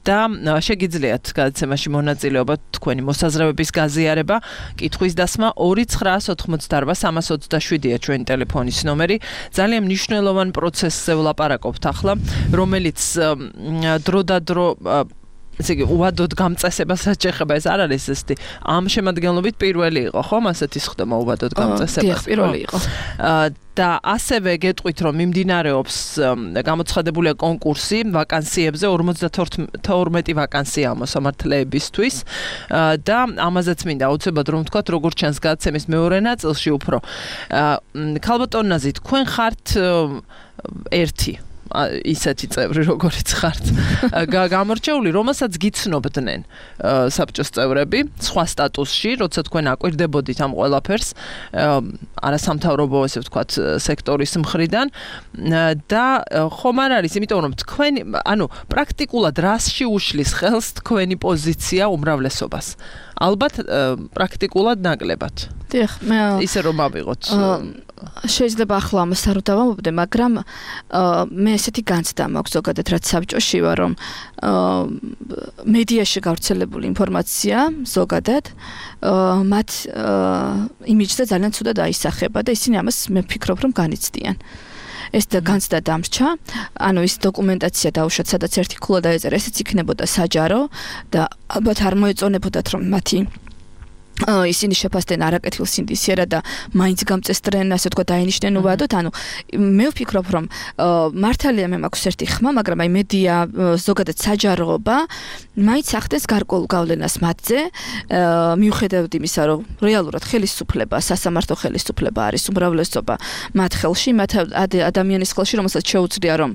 და შეგიძლიათ გადაცემაში მონაწილეობა, თქვენი მოსაზრებების გაზიარება, კითხვის დასმა ორი ცხრაას ოთხმოცდაარბა სამას ოცდაშვიდია ჩვენი ტელეფონის ნომერი. ძალიან მნიშვნელოვან პროცესზე ვლაპარაკობთ ახლა, რომელიც დრო და დრო ესე იგი უვადოდ გამწესებას შეეხება. ეს არ არის ესეთი ამ შემადგენლობით პირველი იყო, ხომ? ასეთი სხდომა უვადოდ გამწესებას. დიახ, პირველი იყო. და ასევე გეტყვით, რომ მიმდინარეობს გამოცხადებულია კონკურსი ვაკანსიებზე, ორმოცდათორმეტი ვაკანსია მოსამართლეებისთვის და ამაზეც მინდა აუცილებლად რომ ვთქვათ, როგორც ჩანს გადაცემის მეორე ნაწილში უფრო. ქალბატონ ნაზი, თქვენ ხართ ერთი ისეთი წევრი, როგორიც ხართ, გამორჩეული, რომელსაც გიცნობდნენ საბჭოს წევრები სხვა სტატუსში, როცა თქვენ აკვირდებოდით ამ ყველაფერს არასამთავრობო, ესე ვთქვათ, სექტორის მხრიდან და ხომ არ არის, იმიტომ რომ თქვენ, ანუ პრაქტიკულად რასში უშლის ხელს თქვენი პოზიცია უმრავლესობას? ალბათ პრაქტიკულად ნაკლებად. დიახ, მე ისე რომ ავიღოთ. შეიძლება ახლა ამას არ დავამბობდე, მაგრამ მე ესეთი განცდა მაქვს ზოგადად, რაც საბჭოში ვარ, რომ მედიაში გავრცელებული ინფორმაცია ზოგადად მათ იმიჯზე ძალიან ცუდად აისახება და ისინი ამას მე ვფიქრობ, რომ განიცდიან. ეს და განცდა დამრჩა, ანუ ის დოკუმენტაცია დაუშვათ, სადაც ერთი ქულა დაეწერა, ესეც იქნებოდა საჯარო და ალბათ არ მოეწონებოდათ, რომ მათი ისინი შეფასდნენ არაკეთილ სინდისიერად და მაინც გამწესდნენ, ასე ვთქვათ, დაინიშნენ უვადოდ. ანუ მე ვფიქრობ, რომ მართალია მე მაქვს ერთი ხმა, მაგრამ აი მედია ზოგადად საჯაროობა მაინც ახდენს გარკვეულ გავლენას მათზე, მიუხედავად იმისა, რომ რეალურად ხელისუფლება, სასამართლო ხელისუფლება არის უმრავლესობა მათ ხელში, მათ ადამიანის ხელში, რომელსაც შეუძლია რომ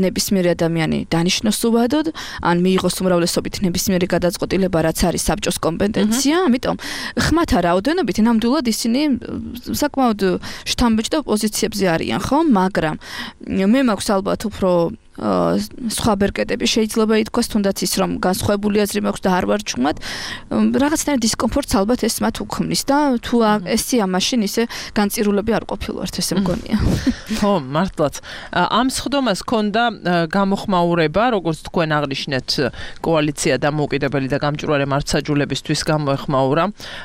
ნებისმიერი ადამიანი დანიშნოს უვადოდ, ან მიიღოს უმრავლესობით ნებისმიერი გადაწყვეტილება, რაც არის საბჭოს კომპეტენცია. ამიტომ ხმათა რაოდენობით ნამდვილად ისინი საკმაოდ შთამბეჭდავ პოზიციებზე არიან, ხო? მაგრამ მე მაქვს ალბათ უფრო სხვა ბერკეტები შეიძლება ითქვას, თუნდაც ის რომ განსხვავებული აზრი მაქვს და არ ვარ ჭუმად, რაღაცნაირად დისკომფორტს ალბათ ეს მათ უქმნის და თუ ესეა მაშინ ისე განწირულები არ ყოფილვართ, ესე მგონია. ხო, მართლაც. ამ სხდომას ჰქონდა გამოხმაურება, როგორც თქვენ აღნიშნეთ, კოალიცია დამოუკიდებელი და გამჭვირვალე მართლმსაჯულებისთვის გამოეხმაურა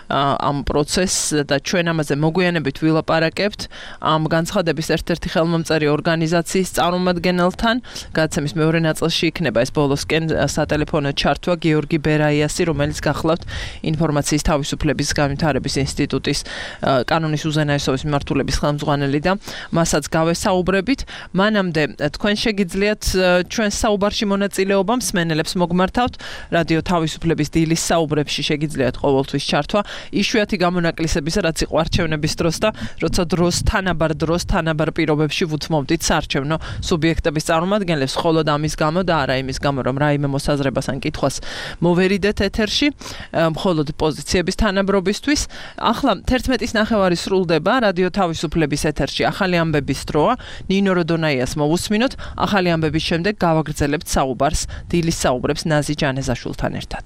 ამ პროცესს და ჩვენ ამაზე მოგვიანებით ვილაპარაკებთ ამ განცხადების ერთ-ერთი ხელმომწერი ორგანიზაციის წარმომადგენელთან. გადაცემის მეორე ნაწილში იქნება ეს ბოლოსკენ სატელეფონო ჩართვა გიორგი ბერაიასი, რომელიც გახლავთ ინფორმაციის თავისუფლების განვითარების ინსტიტუტის კანონის უზენაესობის მიმართულების ხელმძღვანელი და მასაც გავესაუბრებით. მანამდე თქვენ შეგიძლიათ ჩვენ საუბარში მონაწილეობა მსმენელებს მოგმართავთ. რადიო თავისუფლების დილის საუბრებში შეგიძლიათ ყოველთვის ჩართვა. იშვიათი გამონაკლისების რაც იყო არჩევნების დროს და როცა დროს თანაბარ დროს თანაბარ პირობებში ვუთმობდით საარჩევნო სუბიექტების წარმომადგენლებს, მხოლოდ ამის გამო და არა იმის გამო, რომ რაიმე მოსაზრებას ან კითხვას მოვერიდეთ ეთერში, მხოლოდ პოზიციების თანაბრობისთვის. ახლა თერთმეტის ნახევარი სრულდება რადიო თავისუფლების ეთერში ახალი ამბების დროა. ნინო როდონაიას მოვუსმინოთ. ახალი ამბების შემდეგ გავაგრძელებთ საუბარს დილის საუბრებს ნაზი ჯანეზაშვილთან ერთად.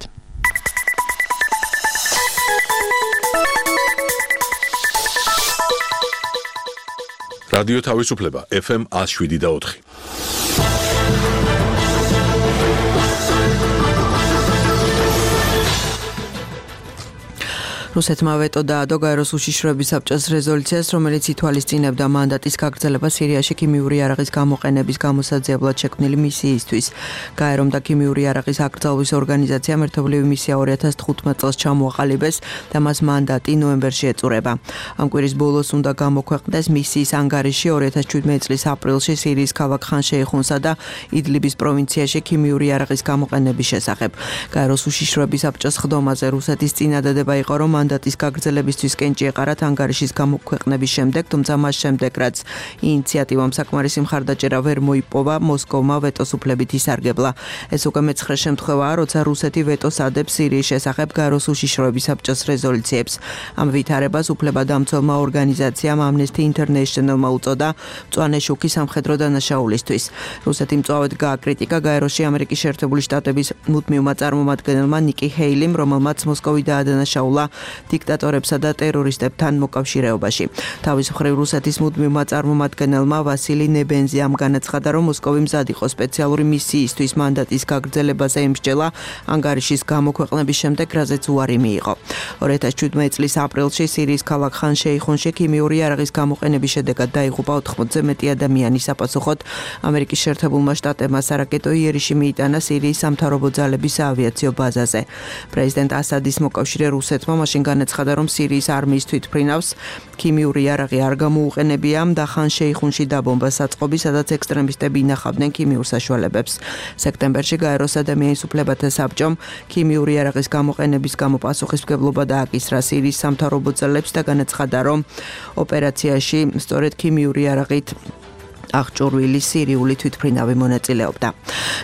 რადიო თავისუფლება ეფ ემ one oh seven და ოთხი. რუსეთმა ვეტო დაადო გაეროს უშიშროების საბჭოს რეზოლუციას, რომელიც ითვალისწინებდა მანდატის გაგრძელებას სირიაში ქიმიური იარაღის გამოყენების გამოსაძიებლად შექმნილი მისიისთვის. გაერომ და ქიმიური იარაღის აკრძალვის ორგანიზაციამ ერთობლივი მისია ორი ათას თხუთმეტ წელს ჩამოაყალიბეს და მას მანდატი ნოემბერში ეწურება. ამ კვირის ბოლოს უნდა გამოქვეყნდეს მისიის ანგარიში ორი ათას შვიდმეტი წლის აპრილში სირიის ქალაქ ხან-შეიხუნსა და იდლიბის პროვინციაში ქიმიური იარაღის გამოყენების შესახებ. გაეროს უშიშროების საბჭოს ხდომაზე რუსეთის წინადადება იყო, რომ მანდატის გაგრძელებისთვის კენჭი ეყარათ ანგარიშის გამოქვეყნების შემდეგ, თუმცა მას შემდეგ, რაც ინიციატივამ საკმარისი მხარდაჭერა ვერ მოიპოვა, მოსკოვმა ვეტოს უფლებით ისარგებლა. ეს უკვე მეცხრე შემთხვევაა, როცა რუსეთი ვეტოს ადებს სირიის შესახებ გაეროს უშიშროების საბჭოს რეზოლუციებს. ამ ვითარებას უფლებადამცველმა ორგანიზაციამ Amnesty International-მა უწოდა მწვანე შუქი სამხედრო დანაშაულისთვის. რუსეთი მწვავედ გააკრიტიკა გაეროში ამერიკის შეერთებული შტატების მუდმივმა წარმომადგენელმა ნიკი ჰეილიმ, რომელმაც მოსკოვი დაადანაშაულა დიქტატორებსა და ტერორისტებთან მოკავშირეობაში. თავის მხრივ რუსეთის მუდმივმა წარმომადგენელმა ვასილი ნებენზიამ განაცხადა, რომ მოსკოვი მზად იყო სპეციალური მისიისთვის მანდატის გაგრძელებაზე ემსჯელა ანგარიშის გამოქვეყნების შემდეგ, რაზეც უარი მიიღო. ორი ათას შვიდმეტი წლის აპრილში სირიის ქალაქ ხან-შეიხუნში ქიმიური იარაღის გამოყენების შედეგად დაიღუპა ოთხმოცზე მეტი ადამიანი. საპასუხოდ ამერიკის შეერთებულმა შტატებმა სარაკეტო იერიში მიიტანა სირიის სამთავრობო ძალების საავიაციო ბაზაზე. პრეზიდენტ ასადის მოკავშირე რუსეთმა მაშინ განაცხადა, რომ სირიის არმიის თვითმფრინავს ქიმიური იარაღი არ გამოუყენებია და ხან-შეიხუნში დაბომბა საწყობი, სადაც ექსტრემისტები ინახავდნენ ქიმიურ საშუალებებს. სექტემბერში გაეროს ადამიანის უფლებათა საბჭომ ქიმიური იარაღის გამოყენების გამო პასუხისმგებლობა დააკისრა სირიის სამთავრობო ძალებს და განაცხადა, რომ ოპერაციაში სწორედ ქიმიური იარაღით აღჭურვილი სირიული თვითმფრინავი მონაწილეობდა.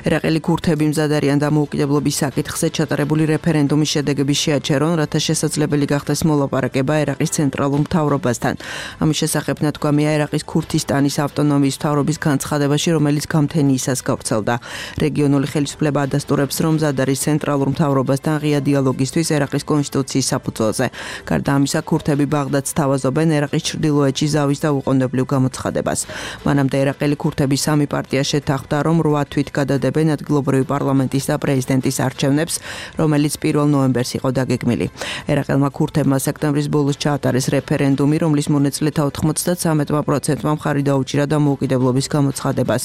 ერაყელი ქურთები მზად არიან დამოუკიდებლობის საკითხზე ჩატარებული რეფერენდუმის შედეგების შეაჩერონ, რათა შესაძლებელი გახდეს მოლაპარაკება ერაყის ცენტრალურ მთავრობასთან. ამის შესახებ ნათქვამია ერაყის ქურთისტანის ავტონომიის მთავრობის განცხადებაში, რომელიც გამთენიისას გავრცელდა. რეგიონული ხელისუფლება ადასტურებს, რომ მზად არის ცენტრალურ მთავრობასთან ღია დიალოგისთვის ერაყის კონსტიტუციის საფუძველზე. გარდა ამისა, ქურთები ბაღდადს თავაზობენ ერაყის ჩრდილოეთში ზავის და უყონებლივ გამოცხადებას. მანამდე ერაყელი ქურთების სამი პარტია შეთანხმდა, რომ რვა თვით გადადებენ ადგილობრივი პარლამენტის და პრეზიდენტის არჩევნებს, რომელიც პირველ ნოემბერს იყო დაგეგმილი. ერაყელმა ქურთებმა სექტემბრის ბოლოს ჩაატარეს რეფერენდუმი, რომლის მონაწილეთა ოთხმოცდათრამეტ პროცენტმა მხარი დაუჭირა დამოუკიდებლობის გამოცხადებას.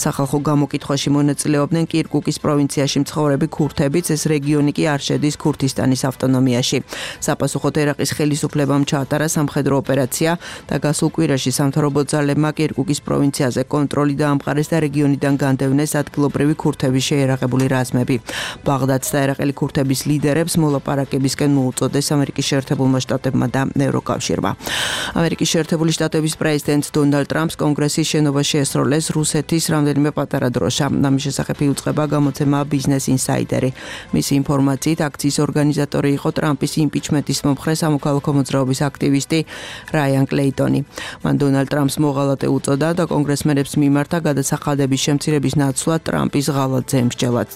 სახალხო გამოკითხვაში მონაწილეობდნენ კირკუკის პროვინციაში მცხოვრები ქურთებიც, ეს რეგიონი კი არ შედის ქურთისტანის ავტონომიაში. საპასუხოდ ერაყის ხელისუფლებამ ჩაატარა სამხედრო ოპერაცია და გასულ კვირაში სამთავრობო ძალებმა კირკუკის პროვინციაში კონტროლი დაამყარეს და რეგიონიდან განდევნეს ადგილობრივი ქურთების შეიარაღებული რაზმები. ბაღდადს და ერაყელი ქურთების ლიდერებს მოლაპარაკებისკენ მოუწოდეს ამერიკის შეერთებულმა შტატებმა და ევროკავშირმა. ამერიკის შეერთებული შტატების პრეზიდენტ დონალდ ტრამპს კონგრესის შენობაში შეესროლეს რუსეთის რამდენიმე პატარა დროშა. ამის შესახებ იუწყება გამოცემა Business Insider-ი. მისი ინფორმაციით, აქციის ორგანიზატორი იყო ტრამპის იმპიჩმენტის მომხრე სამოქალაქო მოძრაობის აქტივისტი რაიან კლეიტონი. მან დონალდ ტრამპს მოღალატე უწოდა და კონგრესმენებს მიმართა გადასახადების შემცირების ნაცვლად ტრამპის ღალატზე ემსჯელად.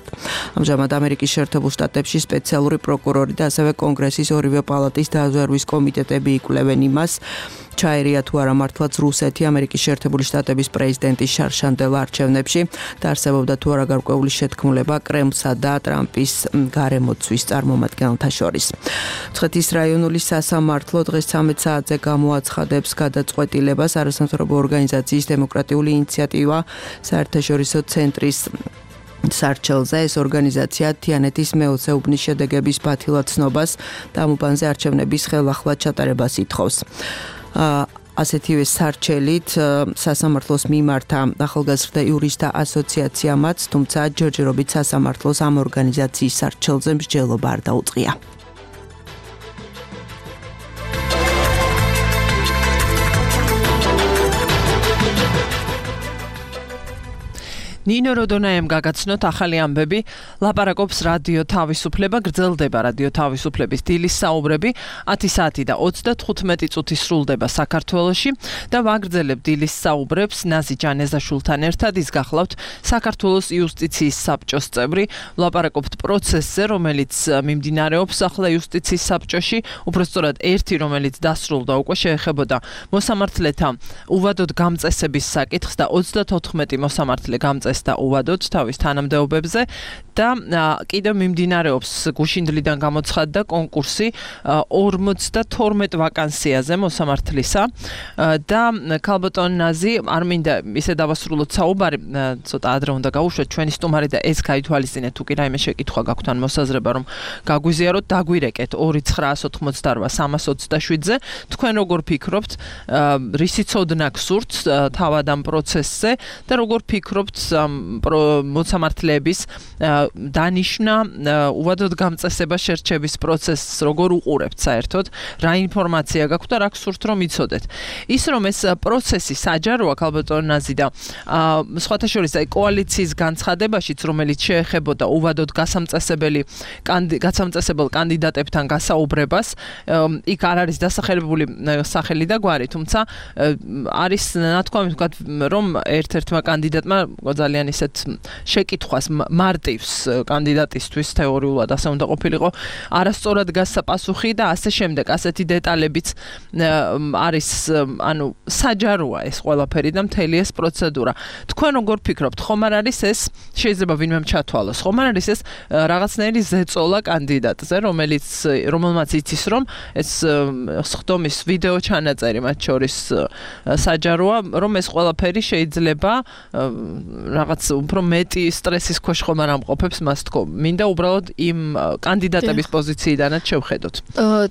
ამჟამად ამერიკის შეერთებულ შტატებში სპეციალური პროკურორი და ასევე კონგრესის ორივე პალატის დაზვერვის კომიტეტები იკვლევენ იმას, ჩაერია თუ არა მართლაც რუსეთი ამერიკის შეერთებული შტატების პრეზიდენტის შარშანდელ არჩევნებში და არსებობდა თუ არა გარკვეული შეთქმულება კრემლსა და ტრამპის გარემოცვის წარმომადგენელთა შორის. მცხეთის რაიონული სასამართლო დღეს ცამეტ საათზე გამოაცხადებს გადაწყვეტილებას არასამთავრობო ორგანიზაციის დემოკრატიული ინიციატივა საერთაშორისო ცენტრის სარჩელზე. ეს ორგანიზაცია თიანეთის მეოცეუბნის შედეგების ბათილად ცნობას და ამ უბანზე არჩევნების ხელახლა ჩატარებას ითხოვს. ასეთივე სარჩელით სასამართლოს მიმართა ახალგაზრდა იურისტთა ასოციაციამაც, თუმცა ჯერჯერობით სასამართლოს ამ ორგანიზაციის სარჩელზე მსჯელობა არ დაუწყია. ნინო როდონაემ გაგაცნოთ ახალი ამბები, ლაპარაკობს რადიო თავისუფლება, გრძელდება რადიო თავისუფლების დილის საუბრები, ათი საათი და ოცდათხუთმეტი წუთი სრულდება საქართველოში და ვაგრძელებ დილის საუბრებს ნაზი ჯანეზაშვილთან ერთად. ის გახლავთ საქართველოს იუსტიციის საბჭოს წევრი, ლაპარაკობთ პროცესზე, რომელიც მიმდინარეობს ახლა იუსტიციის საბჭოში, უბრალოდ ერთი, რომელიც დასრულდა უკვე, შეეხებოდა მოსამართლეთა უვადოდ გამწესების საკითხს და ოცდათოთხმეტი მოსამართლე გამწესდა და უვადოთ თავის თანამდებობებზე და კიდევ მიმდინარეობს გუშინდლიდან გამოცხადდა კონკურსი ორმოცდათორმეტ ვაკანსიაზე მოსამართლისა და ქალბატონ ნაზი არ მინდა ისე დავასრულოთ საუბარი, ცოტა ადრე უნდა გავუშვათ ჩვენი სტუმარი და ეს გაითვალისწინეთ, თუ კი რაიმე შეკითხვა გაქვთ ან მოსაზრება რომ გაგვიზიაროთ, დაგვირეკეთ ორი ცხრაას ოცდაოთხ სამას ოცდაშვიდზე. თქვენ როგორ ფიქრობთ, რისი ცოდნა გსურთ თავად ამ პროცესზე და როგორ ფიქრობთ მოსამართლეების დანიშნა უვადოდ გამწესება შერჩევის პროცესს როგორ უყურებთ საერთოდ, რა ინფორმაცია გაქვთ და რა გსურთ რომ იცოდეთ. ის რომ ეს პროცესი საჯაროა ქალბატონ ნაზი და სხვათა შორის აი კოალიციის განცხადებაშიც, რომელიც შეეხებოდა უვადოდ გასამწესებელი გასამწესებელ კანდიდატებთან გასაუბრებას, იქ არ არის დასახელებული სახელი და გვარი, თუმცა არის ნათქვამი ვთქვათ, რომ ერთ-ერთმა კანდიდატმა ძალიან ისეთ შეკითხვას მარტივს კანდიდატისთვის თეორიულად ასე უნდა ყოფილიყო, არასწორად გასცა პასუხი და ასე შემდეგ, ასეთი დეტალებიც არის, ანუ საჯაროა ეს ყველაფერი და მთელი ეს პროცედურა. თქვენ როგორ ფიქრობთ, ხომ არ არის ეს, შეიძლება ვინმე ჩათვალოს, ხომ არ არის ეს რაღაცნაირი ზეწოლა კანდიდატზე, რომელიც რომელმაც იცის რომ ეს სხდომის ვიდეო ჩანაწერი მათ შორის საჯაროა, რომ ეს ყველაფერი შეიძლება რაღაც უფრო მეტი სტრესის ქვეშ ხომ არ ამყოფებს მას თქო. მინდა უბრალოდ იმ კანდიდატების პოზიციიდანაც შევხედოთ.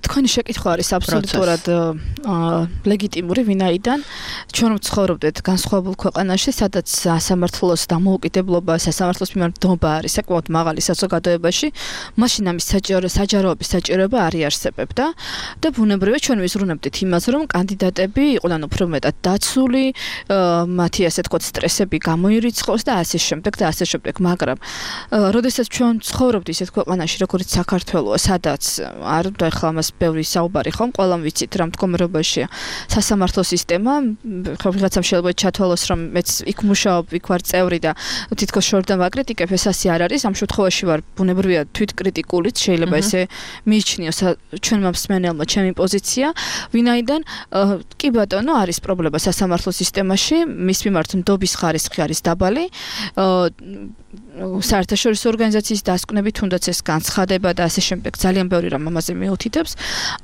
თქვენი შეკითხვა არის აბსოლუტურად ლეგიტიმური, ვინაიდან ჩვენ ვცხოვრობდეთ განსხვავებულ ქვეყანაში, სადაც სასამართლოს დამოუკიდებლობა, სასამართლოს მიმართ დობა არის საკმაოდ მაღალი საზოგადოებაში, მაშინ ამის საჯაროების საჭიროება არ იარსებებდა და ბუნებრივია ჩვენ ვიზრუნებდით იმას, რომ კანდიდატები იყვნენ უფრო მეტად დაცული, მათი ასე თქვათ სტრესები გამოირიცხოს და ასე შემდეგ და ასე შემდეგ, მაგრამ როდესაც ჩვენ ცხოვრობთ ისეთ ქვეყანაში, როგორც საქართველოა, სადაც არ უნდა ახლა ამას ბევრი საუბარი ხომ, ყველამ ვიცით რა მდგომარეობაშია სასამართლო სისტემა, ხო ვიღაცამ შეიძლება ჩათვალოს, რომ მეც იქ მუშაობ, იქ ვარ წევრი და თითქოს შორიდან ვაკრიტიკებ, ეს ასე არ არის. ამ შემთხვევაში ვარ ბუნებრივია თვითკრიტიკულიც, შეიძლება ესე მიიჩნიოს ჩვენმა მსმენელმა ჩემი პოზიცია, ვინაიდან კი ბატონო არის პრობლემა სასამართლო სისტემაში, მის მიმართ ნდობის ხარისხი არის დაბალი. საერთაშორისო ორგანიზაციის დასკვნები, თუნდაც ეს განცხადება და ასე შემდეგ, ძალიან ბევრი რამ ამაზე მიუთითებს.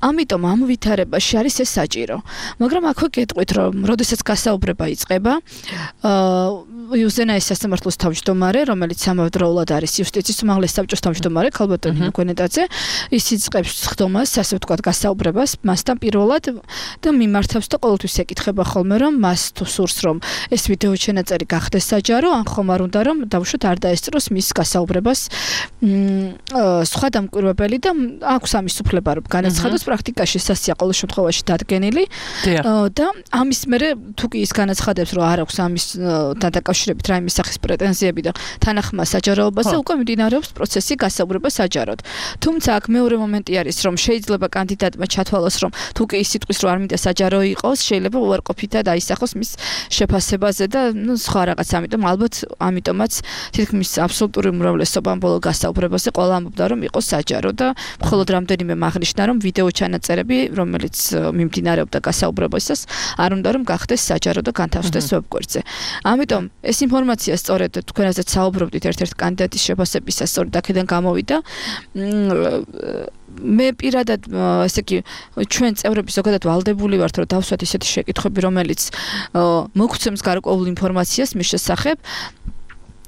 ამიტომ ამ ვითარებაში არის ეს საჭირო. მაგრამ აქვე გეტყვით, რომ როდესაც გასაუბრება იწყება, იუზენაის სასამართლოს თავმჯდომარე, რომელიც ამავდროულად არის იუსტიციის უმაღლეს საბჭოს თავმჯდომარე, ქალბატონ ნინო გვენეტაძე, ის იწყებს ხდომას, ასე ვთქვათ, გასაუბრებას მასთან პირველად და მიმართავს და ყოველთვის ეკითხება ხოლმე, რომ მას თუ სურს, რომ ეს ვიდეო ჩანაწერი გახდეს საჯარო, ან ხომ არ უნდა რომ დავუშვათ არ დაესწროს მის გასაუბრებას. სხვა დამკვირვებელი და აქვს ამის უფლება რომ განაცხადოს პრაქტიკაში სასია ყოველ შემთხვევაში დადგენილი და ამის მერე თუ კი ის განაცხადებს რომ არ აქვს ამის დაკავშირებით რაიმე სახის პრეტენზიები და თანახმა საჯაროებაზე უკვე მიმდინარეობს პროცესი გასაუბრება საჯაროდ. თუმცა აქ მეორე მომენტი არის რომ შეიძლება კანდიდატმა ჩათვალოს რომ თუ კი ის სიტყვის რომ არ მინდა საჯარო იყოს შეიძლება უარყოფითად აისახოს მის შეფასებაზე და ნუ სხვა რაღაც ამიტომ ალბათ ამიტომაც თითქმის აბსოლუტური უმრავლესობა ამ ბოლო გასაუბრებაზე ყველა ამბობდა რომ იყოს საჯარო და მხოლოდ რამდენიმე აღნიშნა რომ ვიდეო ჩანაწერები რომელიც მიმდინარეობდა გასაუბრებისას არ უნდა რომ გახდეს საჯარო და განთავსდეს ვებგვერდზე. ამიტომ ეს ინფორმაცია სწორედ თქვენაზეც საუბრობდით ერთ-ერთ კანდიდატის შეფასებისას სწორედ აქედან გამოვიდა. მე პირადად ესე იგი ჩვენ წევრები ზოგადად ვალდებული ვართ რომ დავსვათ ისეთი შეკითხვები რომელიც მოგცემს გარკვეულ ინფორმაციას მის შესახებ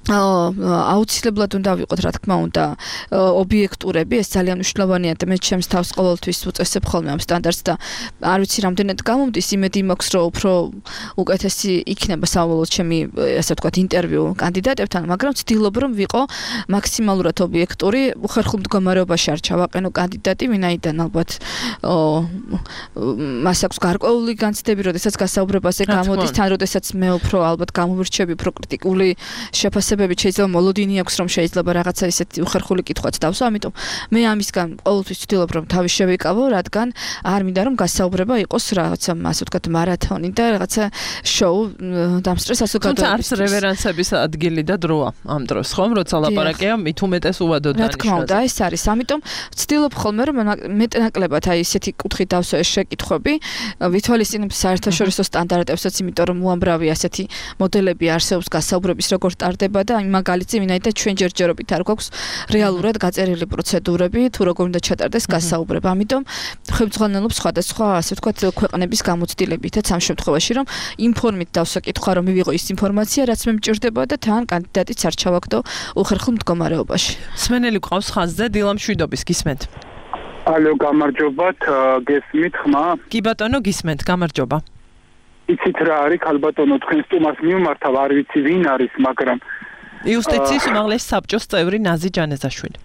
აუცილებლად უნდა ვიყოთ რა თქმა უნდა ობიექტურები ეს ძალიან მნიშვნელოვანია და მე ჩემს თავს ყოველთვის უწესებ ხოლმე ამ სტანდარტს და არ ვიცი რამდენად გამომდის იმედი მაქვს რომ უფრო უკეთესი იქნება საბოლოოდ ჩემი ასე ვთქვათ ინტერვიუ კანდიდატებთან მაგრამ ვცდილობ რომ ვიყო მაქსიმალურად ობიექტური უხერხულ მდგომარეობაში არ ჩავაყენო კანდიდატი ვინაიდან ალბათ მას აქვს გარკვეული განცდები როდესაც გასაუბრებაზე გამოდის თან როდესაც მე უფრო ალბათ გამოვირჩევი უფრო კრიტიკული შეფასება შეიძლება მოლოდინი აქვს რომ შეიძლება რაღაცა ისეთი უხერხული კითხვაც დავსვა, ამიტომ მე ამისგან ყოველთვის ვცდილობ რომ თავი შევიკავო, რადგან არ მინდა რომ გასაუბრება იყოს რაღაცა ასე ვთქვათ მარათონი და რაღაცა შოუ დამსწრეს ასე გადავიდეთ. თუმცა არც რევერანსების ადგილი და დროა ამ დროს, ხომ, როცა ლაპარაკია მით უმეტეს უვადოდ დანიშნულზე. რა თქმა უნდა, ეს არის. ამიტომ ვცდილობ ხოლმე რომ მეტნაკლებად აი ესეთი კუთხით დავსვა ეს შეკითხვები, ვითვალისწინებ საერთაშორისო სტანდარტებსაც, იმიტომ რომ უამრავი ასეთი მოდელები არსებობს გასაუბრების როგორ ტარდება და იმ მაგალითზე ვინაიდან ჩვენ ჯერჯერობით არ გვაქვს რეალურად გაწერილი პროცედურები თუ როგორ უნდა ჩატარდეს გასაუბრება. ამიტომ ხელმძღვანელობს სხვადასხვა ასე ვთქვათ ქვეყნების გამოცდილებითაც ამ შემთხვევაში რომ ინფორმით დავსვა კითხვა რომ მივიღო ის ინფორმაცია რაც მე მჭირდება და თან კანდიდატიც არ ჩავაგდო უხერხულ მდგომარეობაში. სმენელი ყავს ხაზზე დილამ შვიდობის გისმენთ. ალო გამარჯობათ გესმით ხმა? კი ბატონო გისმენთ გამარჯობა. იცით რა არის ქალბატონო თქვენ სტუმარს მიმართავ არ ვიცი ვინ არის მაგრამ იუსტიციის უმაღლესი საბჭოს წევრი ნაზი ჯანეზაშვილი.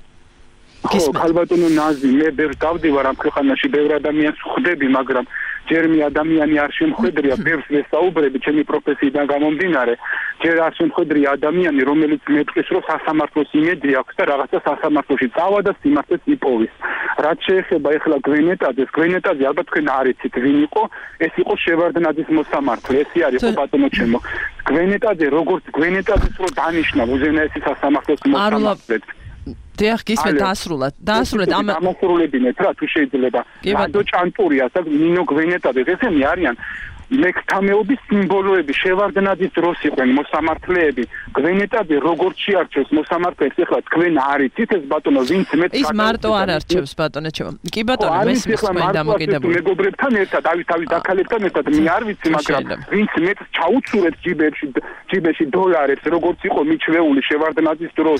ხო ქალბატონო ნაზი მე ბევრ დავდივარ ამ ქვეყანაში ბევრ ადამიანს ვხვდები მაგრამ ჯერ მე ადამიანი არ შემხვედრია ბევრს ვესაუბრები ჩემი პროფესიიდან გამომდინარე ჯერ არ შემხვედრია ადამიანი რომელიც მეტყვის რომ სასამართლოს იმედი აქვს და რაღაცა სასამართლოში წავა და სიმართლეს იპოვის. რაც შეეხება ეხლა გვენეტაძეს გვენეტაძე ალბათ თქვენ არ იცით ვინ იყო ეს იყო შევარდნაძის მოსამართლე ეს არის ხო ბატონო ჩემო გვენეტაძე როგორც გვენეტაძეს რო დანიშნა უზენაესი სასამართლოს მოსამართლედ დიახ გისმენთ დაასრულეთ დაასრულეთ ამ ამასრულებინეთ რა თუ შეიძლება რადო ჭანტურია და ნინო გვენეტაძე ესენი არიან მეკთამეობის სიმბოლოები შევარდნაძის დროს იყვნენ მოსამართლეები გვენეტაძე როგორც შეარჩევს მოსამართლეს ეხლა თქვენ არ იცით ეს ბატონო ვინც მეც ის მარტო არ არჩევს ბატონო ჩემო კი ბატონო მესმის თქვენ დამოკიდებული მეგობრებთან ერთად ავი თავი დაქალებთან ერთად მე არ ვიცი მაგრამ ვინც მეც ჩაუცურეთ ჯიბებში ჯიბეში დოლარებს როგორც იყო მიჩვეული შევარდნაძის დროს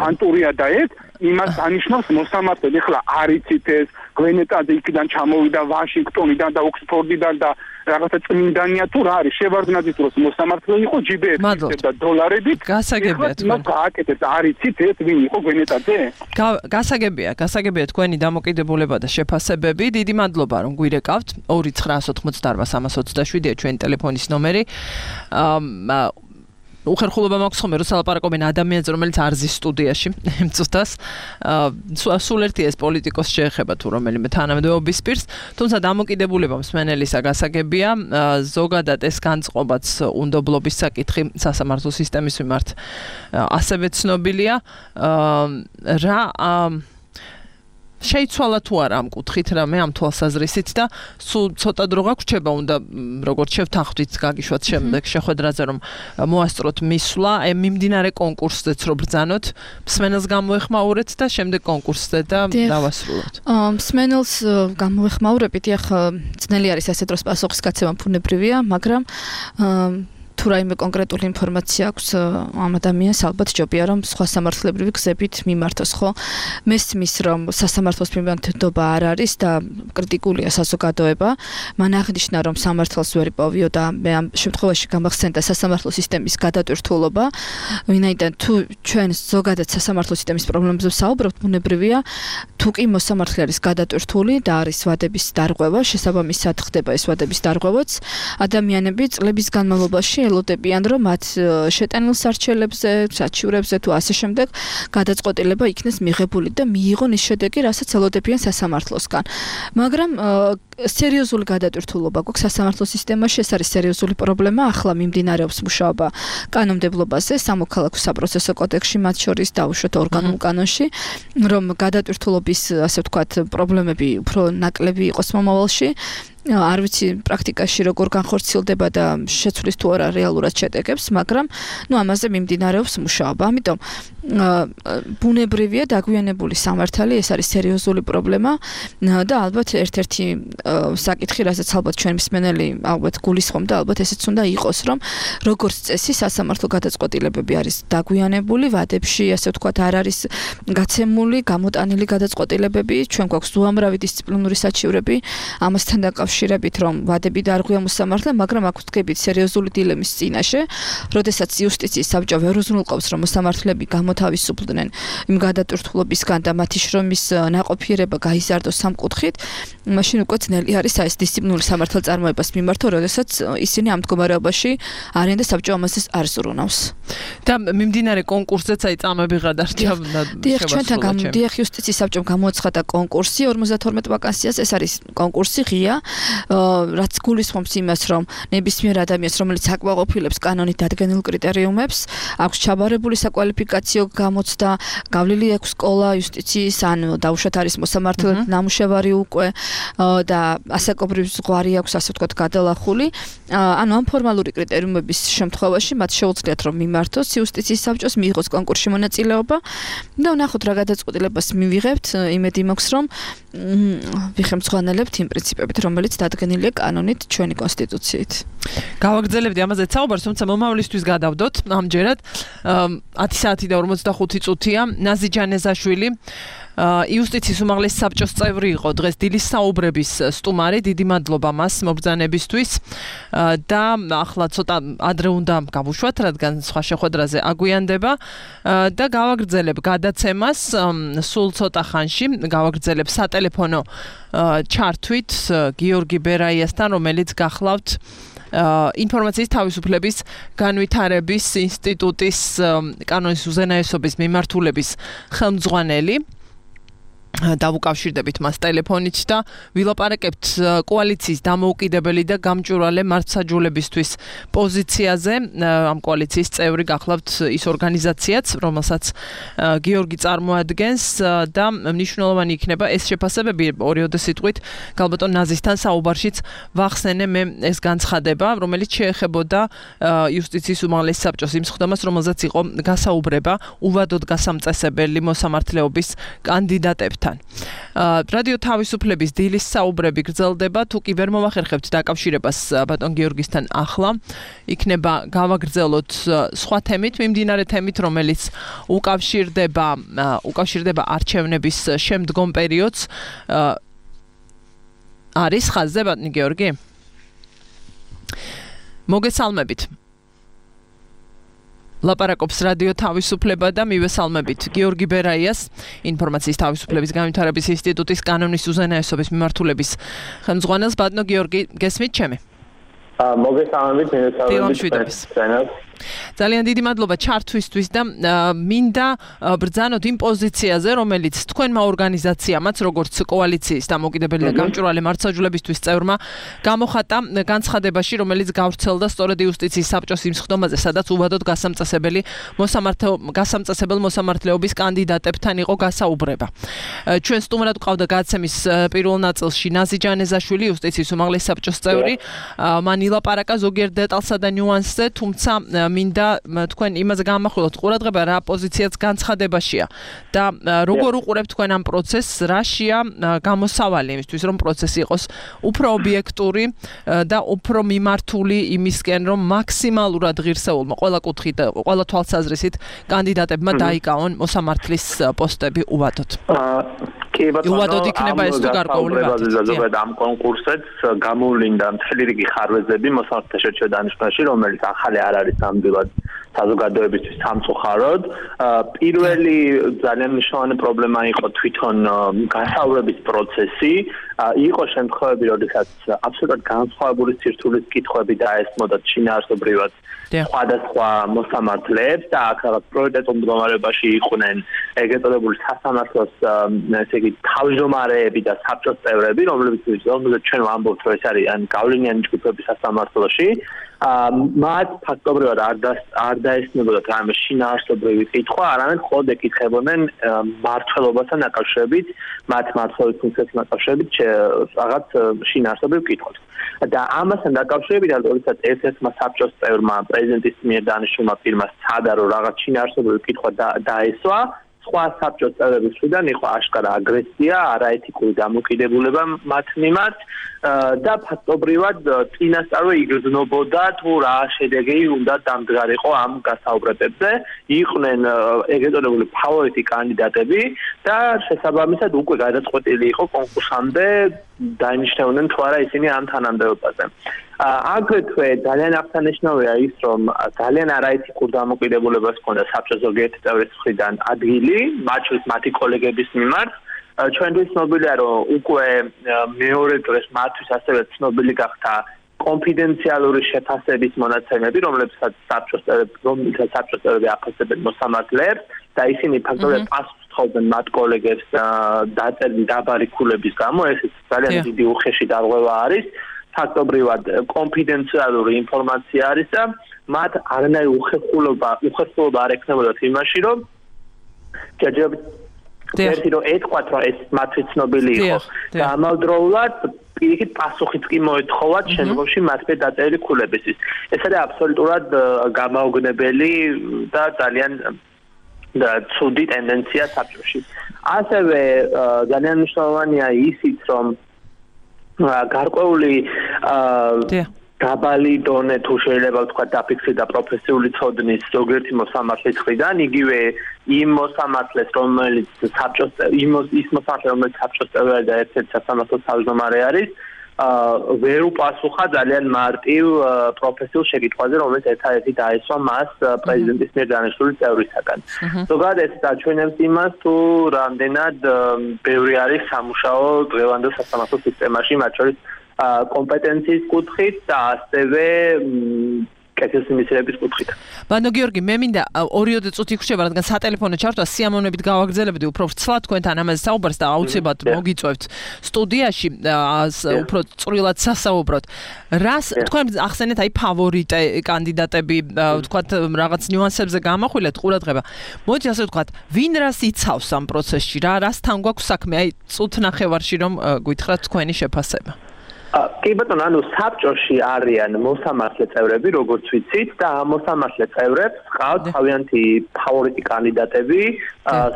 ანტურია და ეს იმას ანიშნავს მოსამართლე ეხლა არ იცით ეს გვენეტაძე იქიდან ჩამოვიდა ვაშინგტონიდან და ოქსფორდიდან და რაღაცა წმინდანია თუ რა არის შევარდნაძის დროს მოსამართლე იყო ჯიბეებში და დოლარებით გასაგებია თქვენ გააკეთეთ არ იცით ეს ვინ იყო გვენეტაძე გასაგებია გასაგებია თქვენი დამოკიდებულება და შეფასებები დიდი მადლობა რომ გვირეკავთ ორი ცხრა ოცდაოთხმოცდაარბა სამას ოცდაშვიდია ჩვენი ტელეფონის ნომერი უხერხულობა მაქვს ხოლმე როცა ლაპარაკობენ ადამიანზე რომელიც არ ზის სტუდიაში მწუთას სულ ერთი ეს პოლიტიკოს შეეხება თუ რომელიმე თანამდებობის პირს თუმცა დამოკიდებულება მსმენელისა გასაგებია ზოგადად ეს განწყობაც უნდობლობის საკითხი სასამართლო სისტემის მიმართ ასევე ცნობილია რა შეიცვალა თუ არა ამ კუთხით რა მე ამ თვალსაზრისით და სულ ცოტა დრო გაგვრჩება უნდა როგორც შევთანხმდით გაგიშვათ შემდეგ შეხვედრაზე რომ მოასწროთ მისვლა აი მიმდინარე კონკურსზეც რო ბრძანოთ მსმენელს გამოეხმაურეთ და შემდეგ კონკურსზე და დავასრულოთ მსმენელს გამოეხმაურებით ახლა ძნელი არის ასე დროს პასუხის გაცემა ფუნებრივია მაგრამ თუ რაიმე კონკრეტული ინფორმაცია აქვს ამ ადამიანს, ალბათ ჯობია რომ სხვა სამართლებრივი გზებით მიმართოს, ხო? მესმის რომ სასამართლოს მიმართება არ არის და კრიტიკულია საზოგადოება. მან აღნიშნა რომ სამართალს ვერ იპოვიო და მე ამ შემთხვევაში გამახსენდა სასამართლო სისტემის გადატვირთულობა. ვინაიდან თუ ჩვენ ზოგადად სასამართლო სისტემის პრობლემებზე ვსაუბრობთ, ბუნებრივია, თუ კი მოსამართლე არის გადატვირთული და არის ვადების დარღვევა, შესაბამისად ხდება ეს ვადების დარღვევაც, ადამიანები წლების განმავლობაში ელოდებიან, რომ მათ შეტანილ სარჩელებზე, საჩივრებზე თუ ასე შემდეგ გადაწყვეტილება იქნეს მიღებული და მიიღონ ის შედეგი, რასაც ელოდებიან სასამართლოსგან. მაგრამ სერიოზული გადატვირთულობა გვაქვს სასამართლო სისტემაში, ეს არის სერიოზული პრობლემა, ახლა მიმდინარეობს მუშაობა კანონმდებლობაზე, სამოქალაქო საპროცესო კოდექსში, მათ შორის დაუშვათ ორგანულ კანონში, რომ გადატვირთულობის, ასე ვთქვათ, პრობლემები უფრო ნაკლები იყოს მომავალში. არ ვიცი პრაქტიკაში როგორ განხორციელდება და შეცვლის თუ არა რეალურად შედეგებს, მაგრამ ნუ ამაზე მიმდინარეობს მუშაობა. ამიტომ ბუნებრივია დაგვიანებული სამართალი, ეს არის სერიოზული პრობლემა და ალბათ ერთ-ერთი საკითხი, რასაც ალბათ ჩვენ მსმენელი ალბათ გულისხმობ და ალბათ ესეც უნდა იყოს, რომ როგორც წესი სასამართლო გადაწყვეტილებები არის დაგვიანებული, ვადებში, ასე ვთქვათ, არ არის გაცემული, გამოტანილი გადაწყვეტილებები, ჩვენ გვაქვს უამრავი დისციპლინური საჩივრები, ამასთან დაკავშირებით, რომ ვადები დარღვია მოსამართლე, მაგრამ აქ ვდგებით სერიოზული დილემის წინაშე, როდესაც იუსტიციის საბჭო ვერ უზრუნველყოფს, რომ მოსამართლეები გამოთავისუფლდნენ იმ გადატვირთულობისგან და მათი შრომის ნაყოფიერება გაიზარდოს სამ კუთხით, მაშინ უკვე ძნელი არის ეს დისციპლინური სამართალწარმოებას მიმართო, როდესაც ისინი ამ მდგომარეობაში არიან და საბჭო ამაზე არ ზრუნავს. და მიმდინარე კონკურსზეც აი წამები გადარჩა. დიახ, ჩვენთან დიახ იუსტიციის საბჭომ გამოაცხადა კონკურსი ორმოცდათორმეტ ვაკანსიას, ეს არის კონკურსი ღია, რაც გულისხმობს იმას, რომ ნებისმიერ ადამიანს, რომელიც აკმაყოფილებს კანონით დადგენილ კრიტერიუმებს, აქვს ჩაბარებული საკვალიფიკაციო გამოცდა, გავლილი აქვს სკოლა იუსტიციის, ან დაუშვათ არის მოსამართლე ნამუშევარი უკვე და ასაკობრივ ზღვარი აქვს, ასე ვთქვათ, გადალახული. ანუ ამ ფორმალური კრიტერიუმების შემთხვევაში მათ შეუძლიათ რომ მიმართოს იუსტიციის საბჭოს, მიიღოს კონკურსში მონაწილეობა და ვნახოთ რა გადაწყვეტილებას მივიღებთ, იმედი მაქვს რომ ვიხემძღვანელებთ იმ პრინციპებით, რომელიც დადგენილია კანონით ჩვენი კონსტიტუციით. გავაგრძელებდი ამაზე საუბარს, თუმცა მომავლისთვის გადავდოთ ამჯერად ათი საათი და ორმოცდახუთი წუთია. ნაზი ჯანეზაშვილი იუსტიციის უმაღლესი საბჭოს წევრი იყო, დღეს დილის საუბრების სტუმარი, დიდი მადლობა მას მობრძანებისთვის და ახლა ცოტა ადრე უნდა გავუშვათ, რადგან სხვა შეხვედრაზე აგვიანდება და გავაგრძელებ გადაცემას სულ ცოტა ხანში, გავაგრძელებ სატელეფონო ჩართვით გიორგი ბერაიასთან, რომელიც გახლავთ ინფორმაციის თავისუფლების განვითარების ინსტიტუტის კანონის უზენაესობის მიმართულების ხელმძღვანელი. დავუკავშირდებით მას ტელეფონით და ვილაპარაკებთ კოალიციის დამოუკიდებელი და გამჭვირვალე მართლმსაჯულებისთვის პოზიციაზე. ამ კოალიციის წევრი გახლავთ ის ორგანიზაციაც, რომელსაც გიორგი წარმოადგენს და მნიშვნელოვანი იქნება ეს შეფასებები ორიოდე სიტყვით გალბატონ ნაზისთან საუბარშიც ვახსენე მე ეს განცხადება, რომელიც შეეხებოდა იუსტიციის უმაღლესი საბჭოს იმ სხდომას, რომელზეც იყო გასაუბრება უვადოდ გასამწესებელი მოსამართლეობის კანდიდატებთან. რადიო თავისუფლების დილის საუბრები გრძელდება, თუ კი ვერ მომახერხებთ დაკავშირებას ბატონ გიორგისთან ახლა, იქნება გავაგრძელოთ სხვა თემით, მიმდინარე თემით, რომელიც უკავშირდება უკავშირდება არჩევნების შემდგომ პერიოდს. არის ხაზზე ბატონი გიორგი? მოგესალმებით. ლაპარაკობს რადიო თავისუფლება და მივესალმებით გიორგი ბერაიას, ინფორმაციის თავისუფლების განვითარების ინსტიტუტის კანონის უზენაესობის მიმართულების ხელმძღვანელს. ბატონო გიორგი, გესმით ჩემი? მოგესალმებით, მივესალმებით. ძალიან დიდი მადლობა ჩართვისთვის და მინდა ბრძანოთ იმ პოზიციაზე, რომელიც თქვენმა ორგანიზაციამაც, როგორც კოალიციის დამოუკიდებელი და გამჭვირვალე მართლმსაჯულებისთვის წევრმა გამოხატა განცხადებაში, რომელიც გავრცელდა სწორედ იუსტიციის საბჭოს იმ სხდომაზე, სადაც უვადოდ გასამწესებელი გასამწესებელ მოსამართლეობის კანდიდატებთან იყო გასაუბრება. ჩვენ სტუმრად ვყავდა გადაცემის პირველ ნაწილში ნაზი ჯანეზაშვილი, იუსტიციის უმაღლესი საბჭოს წევრი. მან ილაპარაკა ზოგიერთ დეტალსა და ნიუანსზე, თუმცა მინდა თქვენ იმაზე გამახვილოთ ყურადღება რა პოზიციაც განცხადებაშია და როგორ უყურებთ თქვენ ამ პროცესს, რაშია გამოსავალი იმისთვის რომ პროცესი იყოს უფრო ობიექტური და უფრო მიმართული იმისკენ რომ მაქსიმალურად ღირსეულმა ყველა კუთხით, ყველა თვალსაზრისით კანდიდატებმა დაიკავონ მოსამართლის პოსტები უვადოთ. კი ბატონო, უვადოთ იქნება ეს თუ გარკვეული ვადით. ამ კონკურსებს გამოვლინდა მთელი რიგი ხარვეზები მოსამართლეთა შერჩევა დანიშვნაში, რომელიც ახალი არ არის ნამდვილად საზოგადოებისთვის სამწუხაროდ. პირველი ძალიან მნიშვნელოვანი პრობლემა იყო თვითონ გასაუბრების პროცესი. იყო შემთხვევები, როდესაც აბსოლუტურად განსხვავებული სირთულის კითხვები დაესმოდათ შინაარსობრივად სხვადასხვა მოსამართლეებს და აქ რაღაც პრიორიტეტულ მდგომარეობაში იყვნენ ეგრეთ წოდებული სასამართლოს ესე იგი თავმჯდომარეები და საბჭოს წევრები, რომლებიც რომელზეც ჩვენ ვამბობთ, რომ ეს არიან გავლენიანი ჯგუფები სასამართლოში. მათ ფაქტობრივად არ არ დაესწრებოდათ რამე შინაარსობრივი კითხვა, არამედ მხოლოდ ეკითხებოდნენ მმართველობასთან დაკავშირებით, მათ მმართველობის ფუნქციასთან დაკავშირებით რაღაც შინაარსობრივ კითხვებს. და ამასთან დაკავშირებით, როდესაც ერთ-ერთმა საბჭოს წევრმა პრეზიდენტის მიერ დანიშნულმა პირმა სცადა, რომ რაღაც შინაარსობრივი კითხვა დაესვა, სხვა საბჭოს წევრების მხრიდან იყო აშკარა აგრესია, არაეთიკური დამოკიდებულება მათ მიმართ და ფაქტობრივად წინასწარვე იგრძნობოდა თუ რა შედეგი უნდა დამდგარიყო ამ გასაუბრებებზე. იყვნენ ეგრეთ წოდებული ფავორიტი კანდიდატები და შესაბამისად უკვე გადაწყვეტილი იყო კონკურსამდე დაინიშნებოდნენ თუ არა ისინი ამ თანამდებობაზე. აგრეთვე ძალიან აღსანიშნავია ის, რომ ძალიან არაეთიკურ დამოკიდებულებას ჰქონდა საბჭოს ზოგიერთი წევრის მხრიდან ადგილი, მათ შორის მათი კოლეგების მიმართ. ჩვენთვის ცნობილია, რომ უკვე მეორე დღეს მათთვის ასევე ცნობილი გახდა კონფიდენციალური შეფასების მონაცემები, რომლებსაც საბჭოს რომლებსაც საბჭოს წევრები აფასებენ მოსამართლეებს და ისინი ფაქტობრივად პასუხს თხოვდნენ მათ კოლეგებს დაწერილი დაბალი ქულების გამო, ეს ძალიან დიდი უხეში დარღვევა არის. ფაქტობრივად კონფიდენციალური ინფორმაცია არის და მათ არანაირი უხერხულობა უხერხულობა არ ექნებოდათ იმაში, რომ ჯერჯერობით ერთი რომ ეთქვათ, რომ ეს მათთვის ცნობილი იყო და ამავდროულად პირიქით პასუხიც კი მოეთხოვათ შემდგომში მათზე დაწერილი ქულებისთვის. ეს არის აბსოლუტურად გამაოგნებელი და ძალიან და ცუდი ტენდენცია საბჭოში. ასევე ძალიან მნიშვნელოვანია ისიც, რომ გარკვეული დაბალი დონე თუ შეიძლება ვთქვა დაფიქსირდა და პროფესიული ცოდნის ზოგიერთი მოსამართლის მხრიდან, იგივე იმ მოსამართლეს, რომელიც საბჭოს იმ ის მოსამართლე, რომელიც საბჭოს წევრი და ერთ-ერთი სასამართლოს თავმჯდომარე არის, ვერ უპასუხა ძალიან მარტივ პროფესიულ შეკითხვაზე, რომელიც ერთადერთი დაესვა მას პრეზიდენტის მიერ დანიშნული წევრისაგან. ზოგადად ეს დაჩვენებს იმას, თუ რამდენად ბევრი არის სამუშაო დღევანდელ სასამართლო სისტემაში, მათ შორის კომპეტენციის კუთხით და ასევე კეთილსინდისრების კუთხით. ბანო გიორგი, მე მინდა ორი-ოთხი წუთი გრჩება, რადგან სატელეფონო ჩართვა სიამოვნებით გავაგრძელებდი უფრო ვრცლად თქვენთან ამაზე საუბარს და აუცილებლად მოგიწევთ სტუდიაში უფრო წვრილად სასაუბროთ. რას თქვენ ახსენეთ აი ფავორიტე კანდიდატები, ვთქვათ რაღაც ნიუანსებზე გამახვილეთ ყურადღება. მოდი ასე ვთქვათ, ვინ რას იცავს ამ პროცესში, რა რასთან გვაქვს საქმე, აი წუთ ნახევარში რომ გითხრათ თქვენი შეფასება. კი ბატონო, ანუ საბჭოში არიან მოსამართლე წევრები, როგორც ვიცით, და ამ მოსამართლე წევრებს ყავთ თავიანთი ფავორიტი კანდიდატები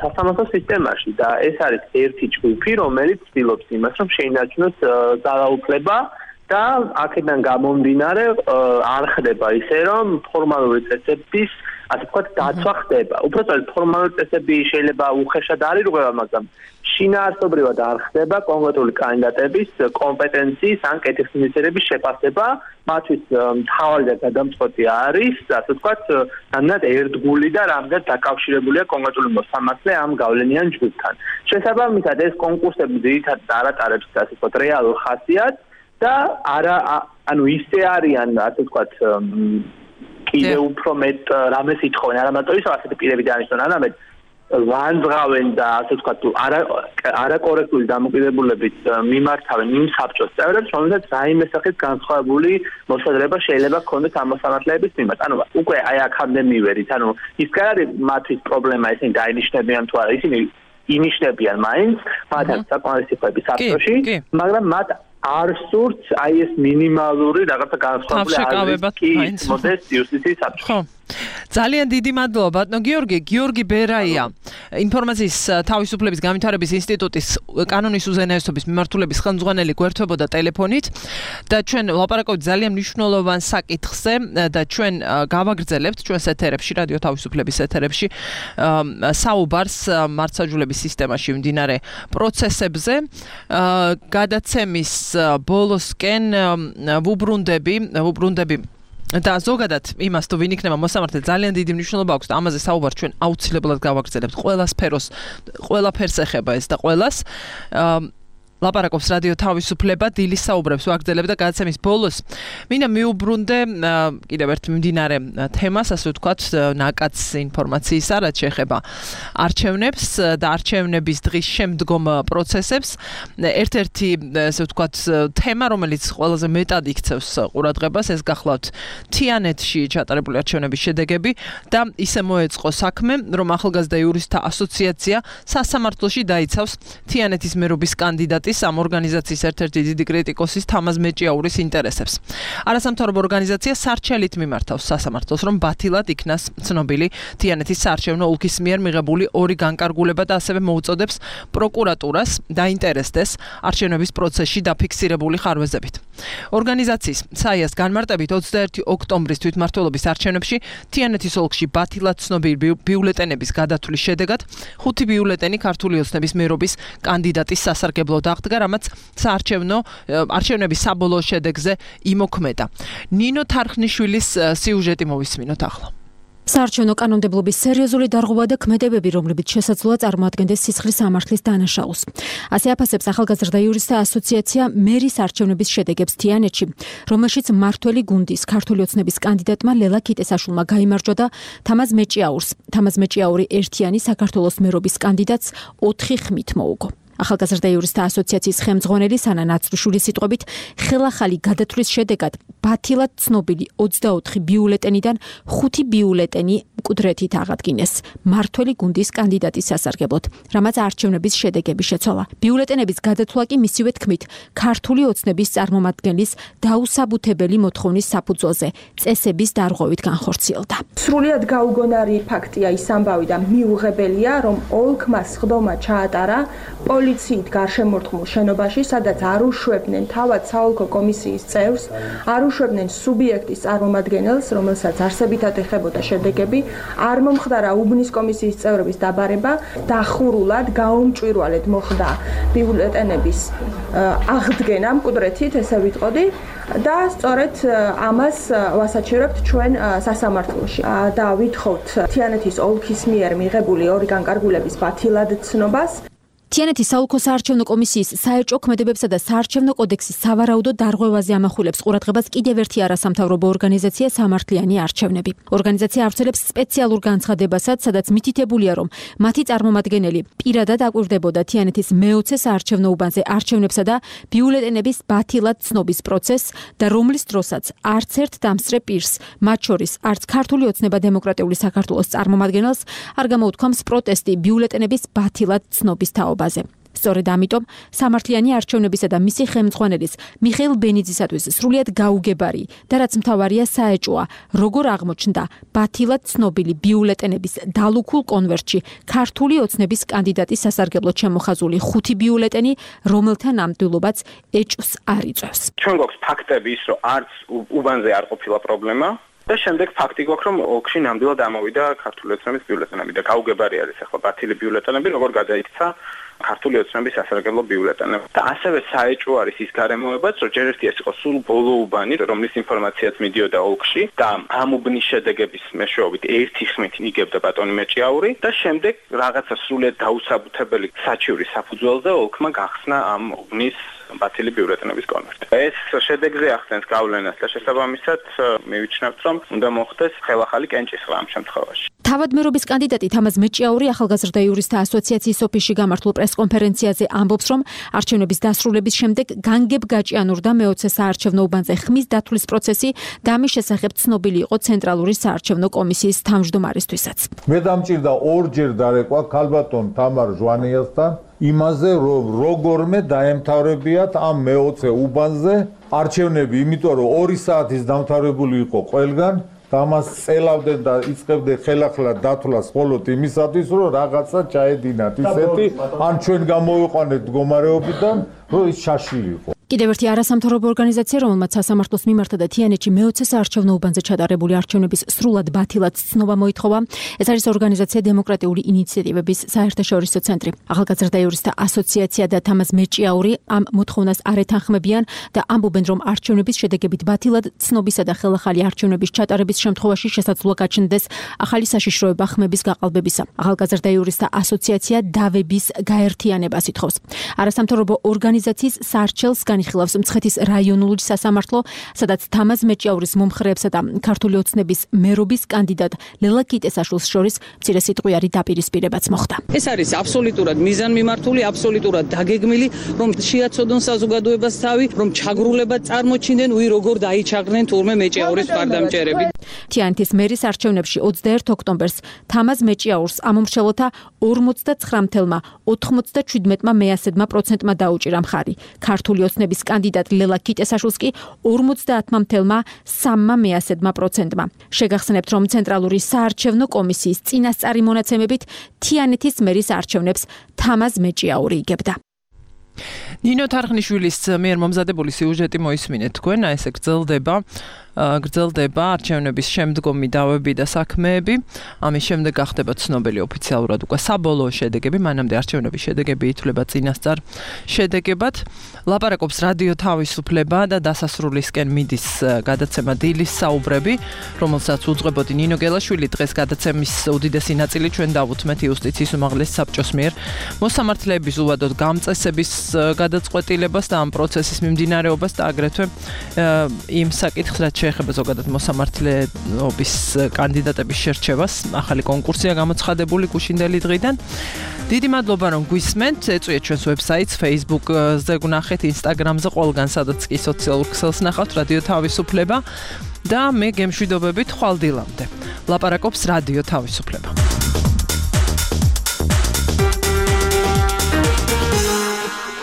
სასამართლო სისტემაში და ეს არის ერთი ჯგუფი, რომელიც ცდილობს იმას, რომ შეინარჩუნოს ძალაუფლება და აქედან გამომდინარე არ ხდება ისე, რომ ფორმალური წესების ასე ვთქვათ, დაცვა ხდება. უბრალოდ ფორმალური წესები შეიძლება უხეშად არ ირღვევა, მაგრამ შინაარსობრივად არ ხდება კონკრეტული კანდიდატების კომპეტენციის ან კეთილსინდისრების შეფასება, მათთვის მთავარი და გადამწყვეტი არის, ასე ვთქვათ, რამდენად ერთგული და რამდენად დაკავშირებულია კონკრეტული მოსამართლე ამ გავლენიან ჯგუფთან. შესაბამისად, ეს კონკურსები ძირითადად არ ატარებს, ასე ვთქვათ, რეალურ ხასიათს და არა, ანუ ისე არიან, ასე ვთქვათ, კიდე უფრო მეტ რამეს ითხოვენ, არა მარტო ის ასეთი პირები დანიშნონ, არამედ ვანძღავენ და ასე ვთქვათ, არაკორექტული დამოკიდებულებით მიმართავენ იმ საბჭოს წევრებს, რომელსაც რაიმე სახის განსხვავებული მოსაზრება შეიძლება ჰქონდეს ამ მოსამართლეების მიმართ. ანუ უკვე აი აქამდე მივერით, ანუ ის კი არის მათთვის პრობლემა, ისინი დაინიშნებიან თუ არა, ისინი ინიშნებიან მაინც, მათ აქვს საკმარისი ხმები საბჭოში, მაგრამ მათ არ სურთ აი ეს მინიმალური რაღაცა განსხვავებული არის კი მოდეს იუსტიციის საბჭოში. ძალიან დიდი მადლობა ბატონო გიორგი გიორგი ბერაია ინფორმაციის თავისუფლების განვითარების ინსტიტუტის კანონის უზენაესობის მიმართულების ხელმძღვანელი გვერდებოდა ტელეფონით და ჩვენ ვლაპარაკობთ ძალიან მნიშვნელოვან საკითხზე და ჩვენ გავაგრძელებთ ჩვენს ეთერებში რადიო თავისუფლების ეთერებში საუბარს მართლმსაჯულების სისტემაში მიმდინარე პროცესებზე გადაცემის ბოლოსკენ ვუბრუნდები ვუბრუნდები და ზოგადად იმას თუ ვინ იქნება მოსამართლე ძალიან დიდი მნიშვნელობა აქვს და ამაზე საუბარს ჩვენ აუცილებლად გავაგრძელებთ ყველა სფეროს ყველა ფერს ეხება ეს და ყველას ლაპარაკობს რადიო თავისუფლება დილის საუბრებს ვაგრძელებ და გადაცემის ბოლოს მინდა მიუბრუნდე კიდევ ერთ მიმდინარე თემას ასე ვთქვათ ნაკაც ინფორმაციისა რაც შეეხება არჩევნებს და არჩევნების დღის შემდგომ პროცესებს ერთ-ერთი ასე ვთქვათ თემა რომელიც ყველაზე მეტად იქცევს ყურადღებას ეს გახლავთ თიანეთში ჩატარებული არჩევნების შედეგები და ისე მოეწყო საქმე რომ ახალგაზრდა იურისტთა ასოციაცია სასამართლოში დაიცავს თიანეთის მერობის კანდიდატი ამ ორგანიზაციის ერთ-ერთი დიდი კრიტიკოსის თამაზ მეჭიაურის ინტერესებს. არასამთავრობო ორგანიზაცია სარჩელით მიმართავს სასამართლოს, რომ ბათილად იქნას ცნობილი თიანეთის საარჩევნო ოლქის მიერ მიღებული ორი განკარგულება და ასევე მოუწოდებს პროკურატურას დაინტერესდეს არჩევნების პროცესში დაფიქსირებული ხარვეზებით. ორგანიზაციის საიას განმარტებით ოცდაერთი ოქტომბრის თვითმმართველობის არჩევნებში თიანეთის ოლქში ბათილად ცნობილი ბიულეტენების გადათვლის შედეგად ხუთი ბიულეტენი ქართული ოცნების მერობის კანდიდატის სასარგებლოდ აღდგა, რამაც საარჩევნო არჩევნების საბოლოო შედეგზე იმოქმედა. ნინო თარხნიშვილის სიუჟეტი მოვისმინოთ ახლა. საარჩევნო კანონმდებლობის სერიოზული დარღვევა და ქმედებები, რომლებიც შესაძლოა წარმოადგენდეს სისხლის სამართლის დანაშაულს. ასე აფასებს ახალგაზრდა იურისტთა ასოციაცია მერის არჩევნების შედეგებს თიანეთში, რომელშიც მმართველი გუნდის ქართული ოცნების კანდიდატმა ლელა კიტესაშვილმა გაიმარჯვა და თამაზ მეჭიაურს. თამაზ მეჭიაური ერთიანი საქართველოს მერობის კანდიდატს ოთხი ხმით მოუგო. ახალგაზრდა იურისტთა ასოციაციის ხელმძღვანელი სანა ნაცრიშვილის სიტყვებით, ხელახალი გადათვლის შედეგად ბათილად ცნობილი ოცდაოთხი ბიულეტენიდან ხუთი ბიულეტენი მკვდრეთით აღადგინეს მმართველი გუნდის კანდიდატის სასარგებლოდ, რამაც არჩევნების შედეგები შეცვალა. ბიულეტენების გადათვლა კი მისივე თქმით ქართული ოცნების წარმომადგენლის დაუსაბუთებელი მოთხოვნის საფუძველზე წესების დარღვევით განხორციელდა. სრულიად გაუგონარი ფაქტია ის ამბავი და მიუღებელია, რომ ოლქმა სხდომა ჩაატარა პოლიციით გარშემორტყმულ შენობაში, სადაც არ უშვებდნენ თავად საოლქო კომისიის წევრს, არ უშვებდნენ სუბიექტის წარმომადგენელს, რომელსაც არსებითად ეხებოდა შედეგები, არ მომხდარა უბნის კომისიის წევრების დაბარება, დახურულად, გაუმჭვირვალედ მოხდა ბიულეტენების აღდგენა მკვდრეთით, ესე ვიტყოდი და სწორედ ამას ვასაჩერებთ ჩვენ სასამართლოში და ვითხოვთ თიანეთის ოლქის მიერ მიღებული ორი განკარგულების ბათილად ცნობას. თიანეთის საოლქო საარჩევნო კომისიის საერჭო ქმედებებსა და საარჩევნო კოდექსის სავარაუდო დარღვევაზე ამახვილებს ყურადღებას კიდევ ერთი არასამთავრობო ორგანიზაცია სამართლიანი არჩევნები. ორგანიზაცია ავრცელებს სპეციალურ განცხადებასაც, სადაც მითითებულია, რომ მათი წარმომადგენელი პირადად აკვირდებოდა თიანეთის მეოცე საარჩევნო უბანზე არჩევნებსა და ბიულეტენების ბათილად ცნობის პროცესს და რომლის დროსაც არც ერთ დამსწრე პირს, მათ შორის არც ქართული ოცნება დემოკრატიული საქართველოს წარმომადგენელს არ გამოუთქვამს პროტესტი ბიულეტენების ბათილად ცნობის თაობაზე. სწორედ ამიტომ სამართლიანი არჩევნებისა და მისი ხელმძღვანელის მიხეილ ბენიძისათვის სრულიად გაუგებარი და რაც მთავარია საეჭოა, როგორ აღმოჩნდა ბათილად ცნობილი ბიულეტენების დალუქულ კონვერტში ქართული ოცნების კანდიდატის სასარგებლოდ შემოხაზული ხუთი ბიულეტენი, რომელთა ნამდვილობაც ეჭვს არ იწვევს. ჩვენ გვაქვს ფაქტები ის, რომ არც უბანზე არ ყოფილა პრობლემა. და შემდეგ ფაქტი გვაქვს, რომ ოლქში ნამდვილად ამოვიდა ქართული ოცნების ბიულეტენები და გაუგებარი არის ახლა ბათილი ბიულეტენები, როგორ გადაიქცა ქართული ოცნების სასარგებლო ბიულეტენები. და ასევე საეჭვო არის ის გარემოებაც, რომ ჯერ ერთი ეს იყო სულ ბოლო უბანი, რომლის ინფორმაციაც მიდიოდა ოლქში და ამ უბნის შედეგების მეშვეობით ერთი ხმით იგებდა ბატონი მეჭიაური და შემდეგ რაღაცა სრულიად დაუსაბუთებელი საჩივრის საფუძველზე ოლქმა გახსნა ამ უბნის ბათილი ბიულეტენების კონვერტი. ეს შედეგზე ახდენს გავლენას და შესაბამისად მივიჩნევთ, რომ უნდა მოხდეს ხელახალი კენჭისყრა ამ შემთხვევაში. თავად მერობის კანდიდატი თამაზ მეჭიაური ახალგაზრდა იურისტთა ასოციაციის ოფისში გამართულ პრესკონფერენციაზე ამბობს, რომ არჩევნების დასრულების შემდეგ განგებ გაჭიანურდა მეოცე საარჩევნო უბანზე ხმის დათვლის პროცესი და ამის შესახებ ცნობილი იყო ცენტრალური საარჩევნო კომისიის თავმჯდომარესთვისაც. მე დამჭირდა ორჯერ დარეკვა ქალბატონ თამარ ჟვანიასთან იმაზე, რომ როგორმე დაემთავრებიათ ამ მეოცე უბანზე არჩევნები, იმიტომ რომ ორი საათის დამთავრებული იყო ყველგან და ამას წელავდნენ და იწყებდნენ ხელახლა დათვლას მხოლოდ იმისათვის, რომ რაღაცა ჩაედინათ ისეთი, ან ჩვენ გამოვიყვანეთ მდგომარეობიდან, რომ ის შაშილიყო. კიდევ ერთი არასამთავრობო ორგანიზაცია, რომელმაც სასამართლოს მიმართა და თიანეთში მეოცე საარჩევნო უბანზე ჩატარებული არჩევნების სრულად ბათილად ცნობა მოითხოვა. ეს არის ორგანიზაცია დემოკრატიული ინიციატივების საერთაშორისო ცენტრი. ახალგაზრდა იურისტთა ასოციაცია და თამაზ მეჭიაური ამ მოთხოვნას არ ეთანხმებიან და ამბობენ, რომ არჩევნების შედეგებით ბათილად ცნობისა და ხელახალი არჩევნების ჩატარების შემთხვევაში შესაძლოა გაჩნდეს ახალი საშიშროება ხმების გაყალბებისა. ახალგაზრდა იურისტთა ასოციაცია დავების გაერთიანებას ითხოვს. არასამთავრობო ორგანიზაციის საარჩელს განიხილავს მცხეთის რაიონული სასამართლო, სადაც თამაზ მეჭიაურის მომხრეებსა და ქართული ოცნების მერობის კანდიდატ ლელა კიტესაშვილს შორის მცირე სიტყვიერი დაპირისპირებაც მოხდა. ეს არის აბსოლუტურად მიზანმიმართული, აბსოლუტურად დაგეგმილი, რომ შეაცოდონ საზოგადოებას თავი, რომ ჩაგრულება წარმოჩინდნენ, უი როგორ დაიჩაგრნენ თურმე მეჭიაურის მხარდამჭერები. თიანეთის მერის არჩევნებში ოცდაერთ ოქტომბერს თამაზ მეჭიაურს ამომრჩევლთა ორმოცდაცხრამი ოცდაშვიდმა მეასედმა პროცენტმა დაუჭირა მხარი. ქართული ოცნების კანდიდატ ლელა კიტესაშვილს კი ორმოცდაათმა სამმა მეასედმა პროცენტმა. შეგახსენებთ, რომ ცენტრალური საარჩევნო კომისიის წინასწარი მონაცემებით თიანეთის მერის არჩევნებს თამაზ მეჭიაური იგებდა. ნინო თარხნიშვილის მიერ მომზადებული სიუჟეტი მოისმინეთ თქვენ, ესე გრძელდება გრძელდება არჩევნების შემდგომი დავები და საქმეები. ამის შემდეგ გახდება ცნობილი ოფიციალურად უკვე საბოლოო შედეგები, მანამდე არჩევნების შედეგები ითვლება წინასწარ შედეგებად. ლაპარაკობს რადიო თავისუფლება და დასასრულისკენ მიდის გადაცემა დილის საუბრები, რომელსაც უძღვებოდი ნინო გელაშვილი. დღეს გადაცემის უდიდესი ნაწილი ჩვენ დავუთმეთ იუსტიციის უმაღლეს საბჭოს მიერ მოსამართლეების უვადოდ გამწესების გადაწყვეტილებას და ამ პროცესის მიმდინარეობას და აგრეთვე იმ საკითხს, რაც შეეხება ზოგადად მოსამართლეობის კანდიდატების შერჩევას. ახალი კონკურსია გამოცხადებული გუშინდელი დღიდან. დიდი მადლობა, რომ გვისმენთ. ეწვიეთ ჩვენს ვებსაიტს, Facebook-ზე გვნახეთ, Instagram-ზე, ყველგან სადაც კი სოციალურ ქსელს ნახავთ, რადიო თავისუფლება და მე გემშვიდობებით ხვალ დილამდე. ლაპარაკობს რადიო თავისუფლება.